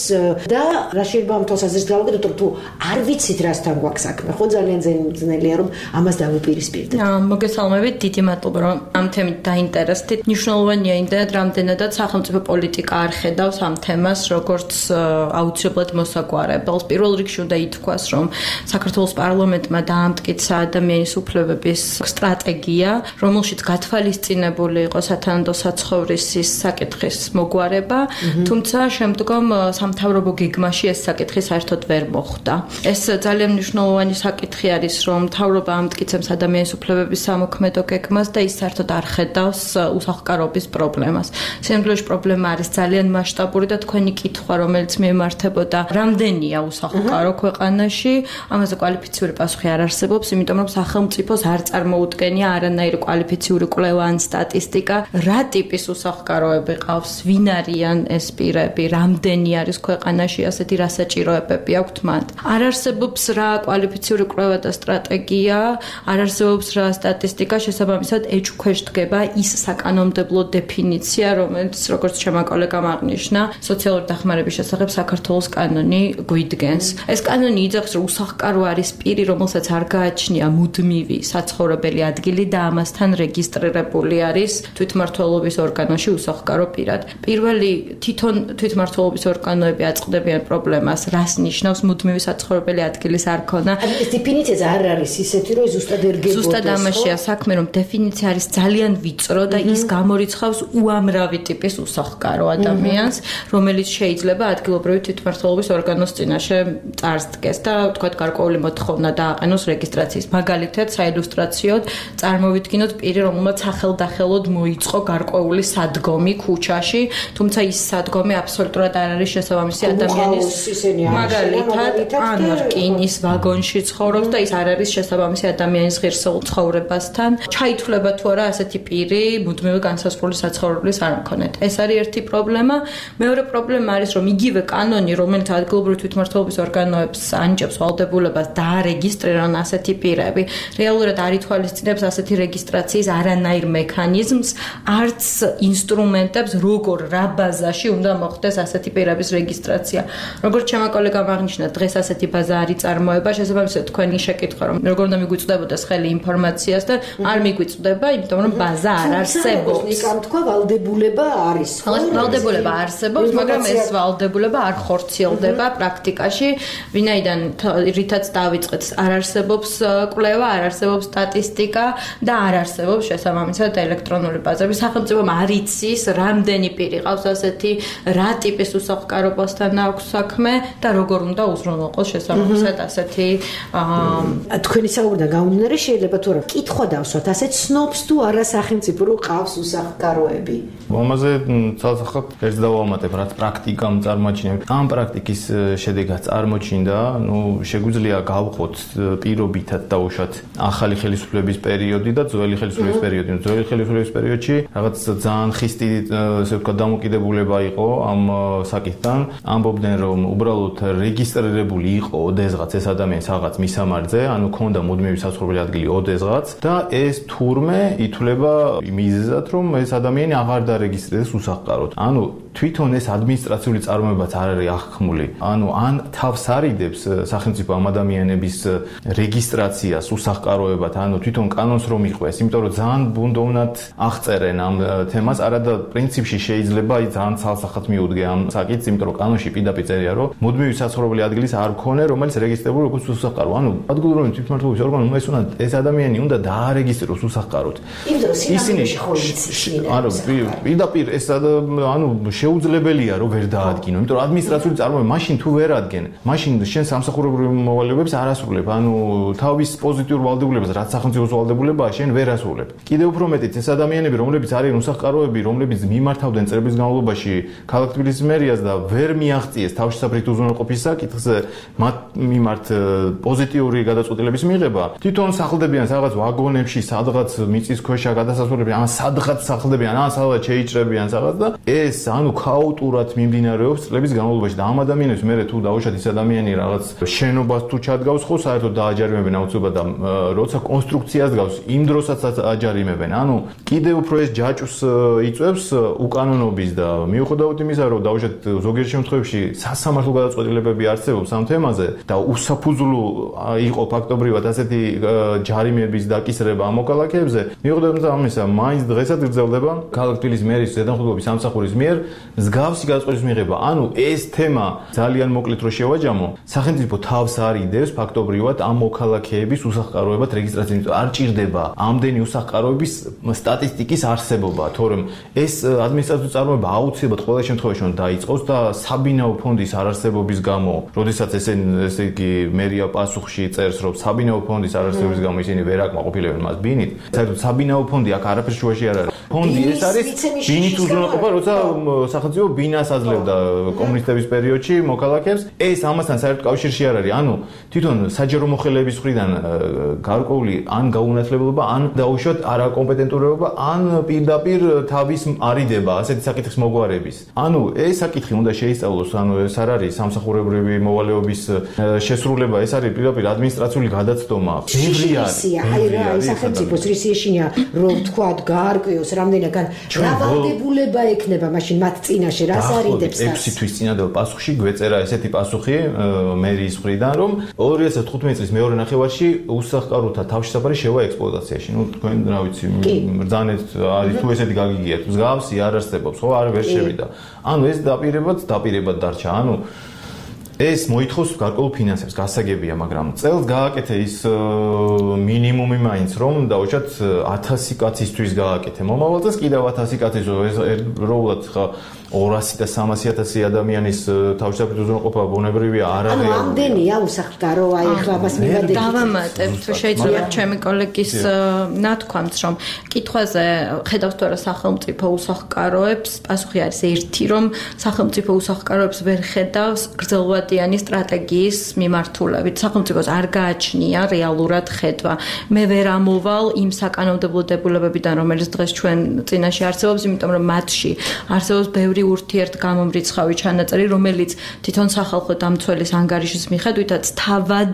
S5: და რა შეიძლება ამ თვალსაზრისით გავაკეთოთ, თუ არ ვიცით რასთან გვაქვს საქმე, ხო ძალიან ძნელია რომ ამას დავუპირისპირდეთ.
S4: მოგესალმებით, დიდი მადლობა რომ ამ თემით დაინტერესდით. მნიშვნელოვანია იმდენად, რამდენადაც სახელმწიფო პოლიტიკა არ ხედავს ამ თემას როგორც აუცილებლად მოსაგვარებელს. პირველ რიგში უნდა ითქვას, რომ საქართველოს პარლამენტმა დაამტკიცა ადამიანის უფლებების სტრატეგია, რომელშიც გათვალისწინებული იყო სათანადო საცხოვრისის საკითხის მოგვარება, თუმცა შემდგომ სამთავრობო გეგმაში ეს საკითხი საერთოდ ვერ მოხვდა. ეს ძალიან მნიშვნელოვანი საკითხი არის, რომ მთავრობა ამტკიცებს ადამიანის უფლებების სამოქმედო გეგმას და ის საერთოდ არ ხედავს უსახკარობის პრობლემას. სინამდვილეში პრობლემა არის ძალიან მასშტაბური და თქვენი კითხვა, რომელიც მიემართებოდა, რამდენია უსახკარო ქვეყანაში, ამაზე კვალიფიციური პასუხი არ არსებობს, იმიტომ რომ სახელმწიფოს არ წარმოუდგენია არანაირი კვალიფიციური კვლევა ან სტატისტიკა, რა ტიპის უსახკაროები ყავს, ვინ არიან ეს პირები, რამდენი არის ქვეყანაში ასეთი, რა საჭიროებები აქვთ მათ. არ არსებობს რა კვალიფიციური კვლევა და სტრატეგია, არ არსებობს რა სტატისტიკა, შესაბამისად ეჭვქვეშ დგება ის საკანონმდებლო დეფინიცია, რომელიც როგორც ჩემმა კოლეგამ აღნიშნა, სოციალური დახმარების შესახებ საქართველოს კანონი გვიდგენს. ეს კანონი იძახს, რომ უსახკარო არის პირი, რომელსაც არ გააჩნია მუდმივი საცხოვრებელი ადგილი და ამასთან რეგისტრირებული არის თვითმმართველობის ორგანოში უსახკარო პირად. პირველი თვითონ თვითმმართველობის ორგანოები აწყდებიან პრობლემას, რას ნიშნავს მუდმივი საცხოვრებელი ადგილის არ ქონა.
S5: ეს დეფინიცია არ არის ისეთი, რომ ზუსტად ერგებოდეს.
S4: ზუსტად ამაშია საქმე, რომ დეფინიცია არის ძალიან ვიწრო და ის გამორიცხავს უამრავი ტიპის უსახკარო ადამიანს, რომელიც შეიძლება ადგილობრივი თვითმმართველობის ორგანოს წინაშე წარსდგეს და თქვათ გარკვეული მოთხოვნა დააყენოს რეგისტრაციის. მაგალითად, საილუსტრაციოდ წარმოვიდგინოთ პირი, რომელმაც სახელდახელოდ მოიწყო გარკვეული სადგომი ქუჩაში, თუმცა ის სადგომი აბსოლუტურად არ არის შესაბამისი ადამიანის მაგალითად ან რკინის ვაგონში ცხოვრობს და ის არ არის შესაბამისი ადამიანის ღირსეულ ცხოვრებასთან. ჩაითვლება თუ არა ასეთი პირი მუდმივი განსაზღვრული საცხოვრებლის არ მქონეთ. ეს არის ერთი პრობლემა. მეორე პრობლემა არის, რომ იგივე კანონი, რომელიც ადგილობრივი თვითმმართველობის ორგანოებს ანიჭებს ვალდებულებას დაარეგისტრირონ ასეთი პირები, რეალურად არ ითვალისწინებს ასეთი რეგისტრაციის არანაირ მექანიზმს, არც ინსტრუმენტებს, როგორ რა ბაზაში უნდა მოხდეს ასეთი პირების რეგისტრაცია. როგორც ჩემმა კოლეგამ აღნიშნა, დღეს ასეთი ბაზა არ იწარმოება, შესაბამისად თქვენი შეკითხვა, რომ როგორ უნდა მიგვიწვდებოდეს ხელი ინფორმაციას და არ მიგვიწვდება, იმიტომ რომ ბაზა არ არსებობს.
S5: ნიკამ თქვა ვალდებულება არის.
S4: ვალდებულება არსებობს, მაგრამ ეს ვალდებულება არ ხორციელდება პრაქტიკაში, ვინაიდან რითაც დავიწყეთ, არ არსებობს კვლევა, არ არსებობს სტატისტიკა და არ არსებობს შესაბამისად ელექტრონული ბაზები. სახელმწიფომ არ იცის, რამდენი პირი ყავს ასეთი, რა ტიპის უსახკარობასთან აქვს საქმე და როგორ უნდა უზრუნველყოს შესაბამისად ასეთი
S5: თქვენი საუბრიდან გამომდინარე შეიძლება თუ არა კითხვა დავსვათ, ასე ცნობს თუ არა სახელმწიფო რომ ყავს უსახკაროები.
S6: ამაზე ცალსახად ერთ დავამატებ, რაც პრაქტიკამ წარმოაჩინეთ. ამ პრაქტიკის შედეგად წარმოჩინდა, შეგვიძლია გავხოთ პირობითად დაუშვათ ახალი ხელისუფლების პერიოდი და ძველი ხელისუფლების პერიოდი. ძველი ხელისუფლების პერიოდში რაღაც ძალიან ხისტი, ესე ვთქვათ, დამოკიდებულება იყო ამ საკითხთან. ამბობდნენ, რომ უბრალოდ რეგისტრირებული იყო ოდესღაც ეს ადამიანი რაღაც მისამართზე, ანუ ქონდა მუდმივი საცხოვრებელი ადგილი ოდესღაც და ეს თურმე ითვლება მიზეზად, რომ ეს ადამიანი აღარ დარეგისტრირდეს უსახკაროდ. ანუ თვითონ ეს ადმინისტრაციული წარმოებაც არ არის აღქმული. ანუ ან თავს არიდებს სახელმწიფო ამ ადამიანების რეგისტრაციას უსახკაროებად, ანუ თვითონ კანონს რომ იყვეს, იმიტომ რომ ძალიან ბუნდოვნად აღწერენ ამ თემას, არადა პრინციპში შეიძლება ძალიან ცალსახად მიუდგე ამ საკითხს, იმიტომ რომ კანონში პირდაპირ წერია, რომ მუდმივი საცხოვრებელი ადგილის არ მქონე, რომ რომელიც რეგისტრირებული როგორც უსახლკარო. ანუ ადგილობრივი თვითმმართველობის ორგანო ეს უნდა ეს ადამიანი უნდა დაარეგისტრიროს უსახლკაროდ.
S5: ისინი
S6: პირდაპირ ეს ანუ შეუძლებელია რომ ვერ დაადგინო, იმიტომ რომ ადმინისტრაციული წარმოება მაშინ თუ ვერ ადგენ, მაშინ შენ სამსახურებრივ მოვალეობებს არ ასრულებ, ანუ თავის პოზიტიურ ვალდებულებას, რაც სახელმწიფოს ვალდებულებაა, შენ ვერ ასრულებ. კიდევ უფრო მეტიც ეს ადამიანები, რომლებიც არიან უსახლკაროები, რომლებიც მიმართავდნენ წლების განმავლობაში ქალაქ თბილისის მერიას და ვერ მიაღწიეს თავშესაფრით უზრუნველყოფის საკითხს, მათ მიმართ პოზიტიური გადაწყვეტილების მიღება. თვითონ სახლდებიან რაღაც ვაგონებში, სადღაც მიწისქვეშა გადასასვლელები, ან სადღაც სახლდებიან, ან სადღაც შეიჭრებიან რაღაც და ეს ანუ ქაოტურად მიმდინარეობს წლების განმავლობაში და ამ ადამიანებს მე თუ დაუშვათ ის ადამიანი რაღაც შენობას თუ ჩადგავს ხო საერთოდ დააჯარიმებენ აუცილებლად და როცა კონსტრუქციას გავს იმ დროსაც აჯარიმებენ. ანუ კიდევ უფრო ეს ჯაჭვს იწვევს უკანონობის და მიუხედავად იმისა რომ დაუშვათ ზოგიერთ შემთხვევაში სასამართლო გადაწყვეტილებები არსებობს ამ თემაზე და უსაფუძვლო იყო ფაქტობრივად ასეთი ჯარიმების დაკისრება ამ მოქალაქეებზე, მიუხედავად ამისა მაინც დღესაც გრძელდება ქალაქ თბილისის მერის ზედამხედველობის სამსახურის მიერ მსგავსი გადაწყვეტილის მიღება. ანუ ეს თემა ძალიან მოკლედ რო შევაჯამო, სახელმწიფო თავს არ იდევს ფაქტობრივად ამ მოქალაქეების უსახლკაროებად რეგისტრაციას. არ ჭირდება ამდენი უსახლკაროების სტატისტიკის არსებობა, თორემ ეს ადმინისტრაციული წარმოება აუცილებლად ყველა შემთხვევაში უნდა დაიწყოს და საბინაო ფონდის არარსებობის გამო, როდესაც ესე იგი მერია პასუხში წერს, რომ საბინაო ფონდის არარსებობის გამო ისინი ვერ აკმაყოფილებენ მას ბინით. საერთოდ საბინაო ფონდი აქ არაფერ შუაში არ არის. ფონდი ეს არის ბინით უზრუნველყოფა, როცა სახელმწიფო ბინას აძლევდა კომუნისტების პერიოდში მოქალაქეებს. ეს ამასთან საერთოდ კავშირში არ არის. ანუ თვითონ საჯარო მოხელეების მხრიდან გარკვეული ან გაუნათლებლობა, ან დაუშვათ არაკომპეტენტურობა, ან პირდაპირ თავის არიდება ასეთი საკითხის მოგვარების. ანუ ეს საკითხი უნდა შეისწავლოს, ანუ ეს არ არის სამსახურებრივი მოვალეობის შესრულება, ეს არის პირდაპირ ადმინისტრაციული გადაცდომა. ბევრი არის.
S5: აი რა, სახელმწიფოს რისიეშინია, რომ თქვათ გაარკვიოს რამდენად დავალდებულება ექნება მაშინ მათ წინაშე, რას არიდებს და
S6: 6 თვის წინადადება პასუხში გვეწერა ესეთი პასუხი მერიის მხრიდან, რომ 2015 წლის მეორე ნახევარში უსახლკაროთა თავშესაფარი შევა ექსპლუატაციაში. ნუ თქვენ რა ვიცი, ბრძანეთ არის თუ ესეთი გაგიგიათ, მსგავსი არ არსებობს, ხო, არ ვერ შევიდა. ანუ ეს დაპირებად დარჩა. ანუ ეს მოითხოვს გარკვეულ ფინანსებს, გასაგებია, მაგრამ წელს გააკეთე ის მინიმუმი მაინც, რომ დაუშვათ 1000 კაცისთვის გააკეთე. მომავალ წელს კიდევ 1000 კაცის როულად ხა 200 და 300.000 ადამიანის თავშესაფრით უზრუნველყოფა ბუნებრივია არ არის.
S5: ანუ ამდენია უსახლკარო, აი ახლა მას მივადეთ.
S4: დავამატებთ, შეიძლება ჩემი კოლეგის ნათქვამს, რომ კითხვაზე ხედავს თუ არა სახელმწიფო უსახლკაროებს, პასუხი არის ერთი, რომ სახელმწიფო უსახლკაროებს ვერ ხედავს გრძელვადიანი სტრატეგიის მიმართულებით. სახელმწიფოს არ გააჩნია რეალურად ხედვა. მე ვერ ამოვალ იმ საკანონმდებლო დებულებებიდან, რომელიც დღეს ჩვენ წინაშე არსებობს, იმიტომ რომ მათში არსებობს ბევრი ურთიერთ გამომრიცხავი ჩანაწერი, რომელიც თვითონ სახალხო დამცველის ანგარიშის მიხედვითაც თავად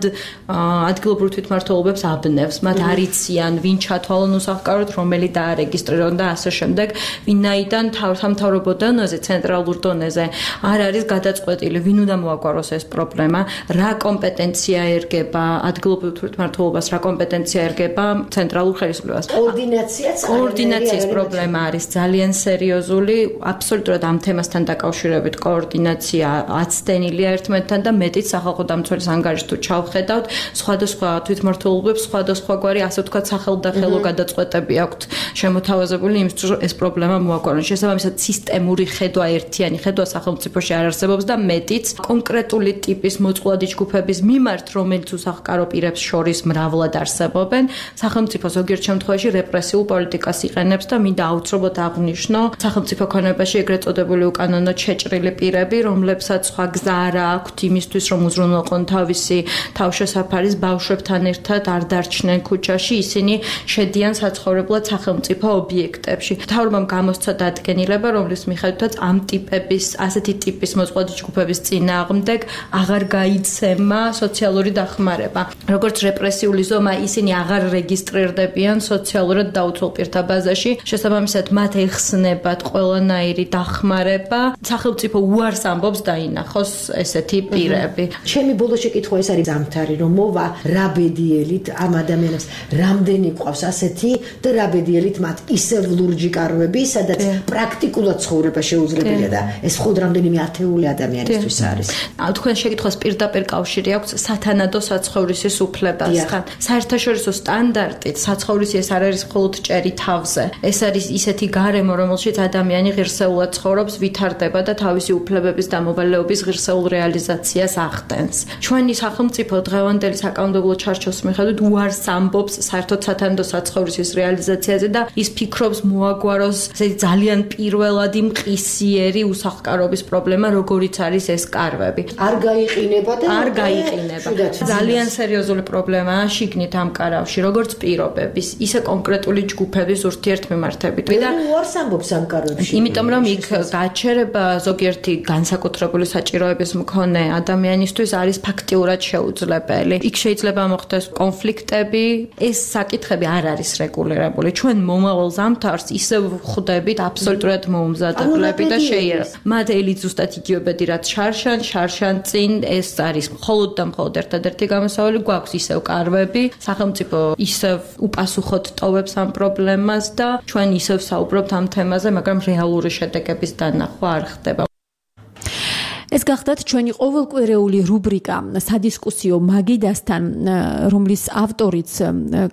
S4: ადგილობრივ თვითმმართველობებს აბნევს. მათ არიციან, ვინ ჩათვალონ უსახლკაროდ, რომელი დაარეგისტრირონ და ასე შემდეგ, ვინაიდან სამთავრობო დონეზე, ცენტრალურ დონეზე არ არის გადაწყვეტილი, ვინ უნდა მოაგვაროს ეს პრობლემა, რა კომპეტენცია ერგება ადგილობრივ თვითმმართველობას, რა კომპეტენცია ერგება ცენტრალურ ხელისუფლებას. კოორდინაციის პრობლემა არის ძალიან სერიოზული, აბსოლუტურად ამ თემასთან დაკავშირებით კოორდინაცია აცდენილია ერთმანეთთან და მეტიც სახალხო დამცველის ანგარიშს თუ ჩავხედავთ, სხვადასხვა თვითმმართველობებს სხვადასხვაგვარი ასე ვთქვათ სახელმდახელო გადაწყვეტები აქვთ შემოთავაზებული იმისთვის, რომ ეს პრობლემა მოაგვარონ. შესაბამისად, სისტემური ხედვა, ერთიანი ხედვა სახელმწიფოში არ არსებობს და მეტიც კონკრეტული ტიპის მოწყვლადი ჯგუფების მიმართ, რომელიც უსახლკარო პირებს შორის მრავლად არსებობენ, სახელმწიფო ზოგიერთ შემთხვევაში რეპრესიულ პოლიტიკას იყენებს და მინდა აუცილებლად აღვნიშნო, სახელმწიფო ქონებაში ეგრეთ წოდებული უკანონოდ შეჭრილი პირები, რომლებსაც სხვა გზა არ აქვთ იმისთვის, რომ უზრუნველყონ თავისი თავშესაფარის ბავშვებთან ერთად არ დარჩნენ ქუჩაში, ისინი შედიან საცხოვრებლად სახელმწიფო ობიექტებში. მთავრობამ გამოსცა დადგენილება, რომლის მიხედვითაც ამ ტიპების, ასეთი ტიპის მოწყვლადი ჯგუფების წინააღმდეგ აღარ გაიცემა სოციალური დახმარება. როგორც რეპრესიული ზომა, ისინი აღარ რეგისტრირდებიან სოციალურად დაუცველ პირთა ბაზაში. შესაბამისად, მათ ეხსნებათ ყველანაირი დახმარება. სახელმწიფო უარს ამბობს დაინახოს ესეთი პირები.
S5: ჩემი ბოლო შეკითხვა ეს არის ზამთარი, რომ მოვა რა ბედიელით ამ ადამიანებს რამდენი ყავს ასეთი და რა ბედიელით მათ ისევ ლურჯი კაროები, სადაც პრაქტიკულად ცხოვრება შეუძლებელია და ეს მხოლოდ რამდენიმე ათეული ადამიანისთვის არის.
S4: თქვენ შეკითხვას პირდაპირ კავშირი აქვს სათანადო საცხოვრისის უფლებასთან. საერთაშორისო სტანდარტით საცხოვრისი ეს არ არის მხოლოდ ჭერი თავზე. ეს არის ისეთი გარემო, რომელშიც ადამიანი ღირსეულად ცხოვრობს, ვითარდება და თავისი უფლებების და მოვალეობის ღირსეულ რეალიზაციას ახდენს. ჩვენი სახელმწიფო დღევანდელი საკანონმდებლო ჩარჩოს მიხედვით უარს ამბობს საერთოდ სათანადო საცხოვრისის რეალიზაციაზე და ის ფიქრობს მოაგვაროს ძალიან პირველადი მყისიერი უსახლკარობის პრობლემა, როგორიც არის ეს კარვები.
S5: არ გაიყინება და
S4: არ გაიყინება. ძალიან სერიოზული პრობლემაა შიგნით ამ კარავში, როგორც პირობების, ისე კონკრეტული ჯგუფების ურთიერთმემართებით.
S5: და უარს ამბობს ამ კარვებში.
S4: იმიტომ რომ იქ გაჩერება ზოგიერთი განსაკუთრებული საჭიროების მქონე ადამიანისთვის არის ფაქტიურად შეუძლებელი. იქ შეიძლება მოხდეს კონფლიქტები, ეს საკითხები არ არის რეგულირებული. ჩვენ მომავალ ზამთარს ისევ ხვდებით აბსოლუტურად მოუმზადებლები და შეიერება. მათ ელით ზუსტად იგივებედი რაც შარშან წინ ეს არის მხოლოდ და მხოლოდ ერთადერთი გამოსავალი გვაქვს ისევ კარვები, სახელმწიფო ისევ უპასუხოდ ტოვებს ამ პრობლემას და ჩვენ ისევ საუბრობთ ამ თემაზე, მაგრამ რეალური შედეგების დანახვა არ ხდება.
S3: ეს გახდათ ჩვენი ყოველკვირეული რუბრიკა სადისკუსიო მაგიდასთან, რომლის ავტორიც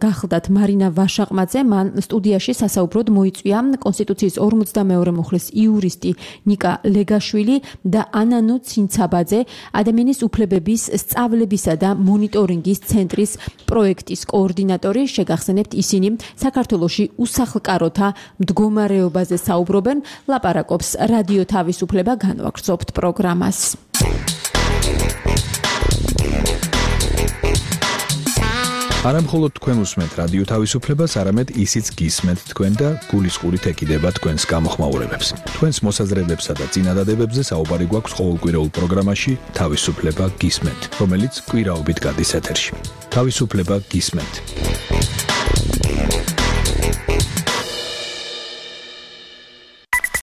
S3: გახლდათ მარინა ვაშაყმაძე. მან სტუდიაში სასაუბროდ მოიწვია კონსტიტუციის 42 მუხლის იურისტი ნიკა ლეგაშვილი და ანანუ ცინცაბაძე, ადამიანის უფლებების სწავლებისა და მონიტორინგის ცენტრის პროექტის კოორდინატორი. შეგახსენებთ, ისინი საქართველოში უსახლკაროთა მდგომარეობაზე საუბრობენ. ლაპარაკობს რადიო თავისუფლება, განვაგრძობთ პროგრამას.
S7: არა მხოლოდ თქვენ უსმენთ რადიო თავისუფლებას, არამედ ისიც გისმენთ თქვენ და გულისყურით ეკიდება თქვენს გამოხმაურებებს. თქვენს მოსაზრებებსა და წინადადებებზე საუბარი გვაქვს ყოველკვირეულ პროგრამაში თავისუფლება გისმენთ, რომელიც კვირაობით გადის ეთერში. თავისუფლება გისმენთ.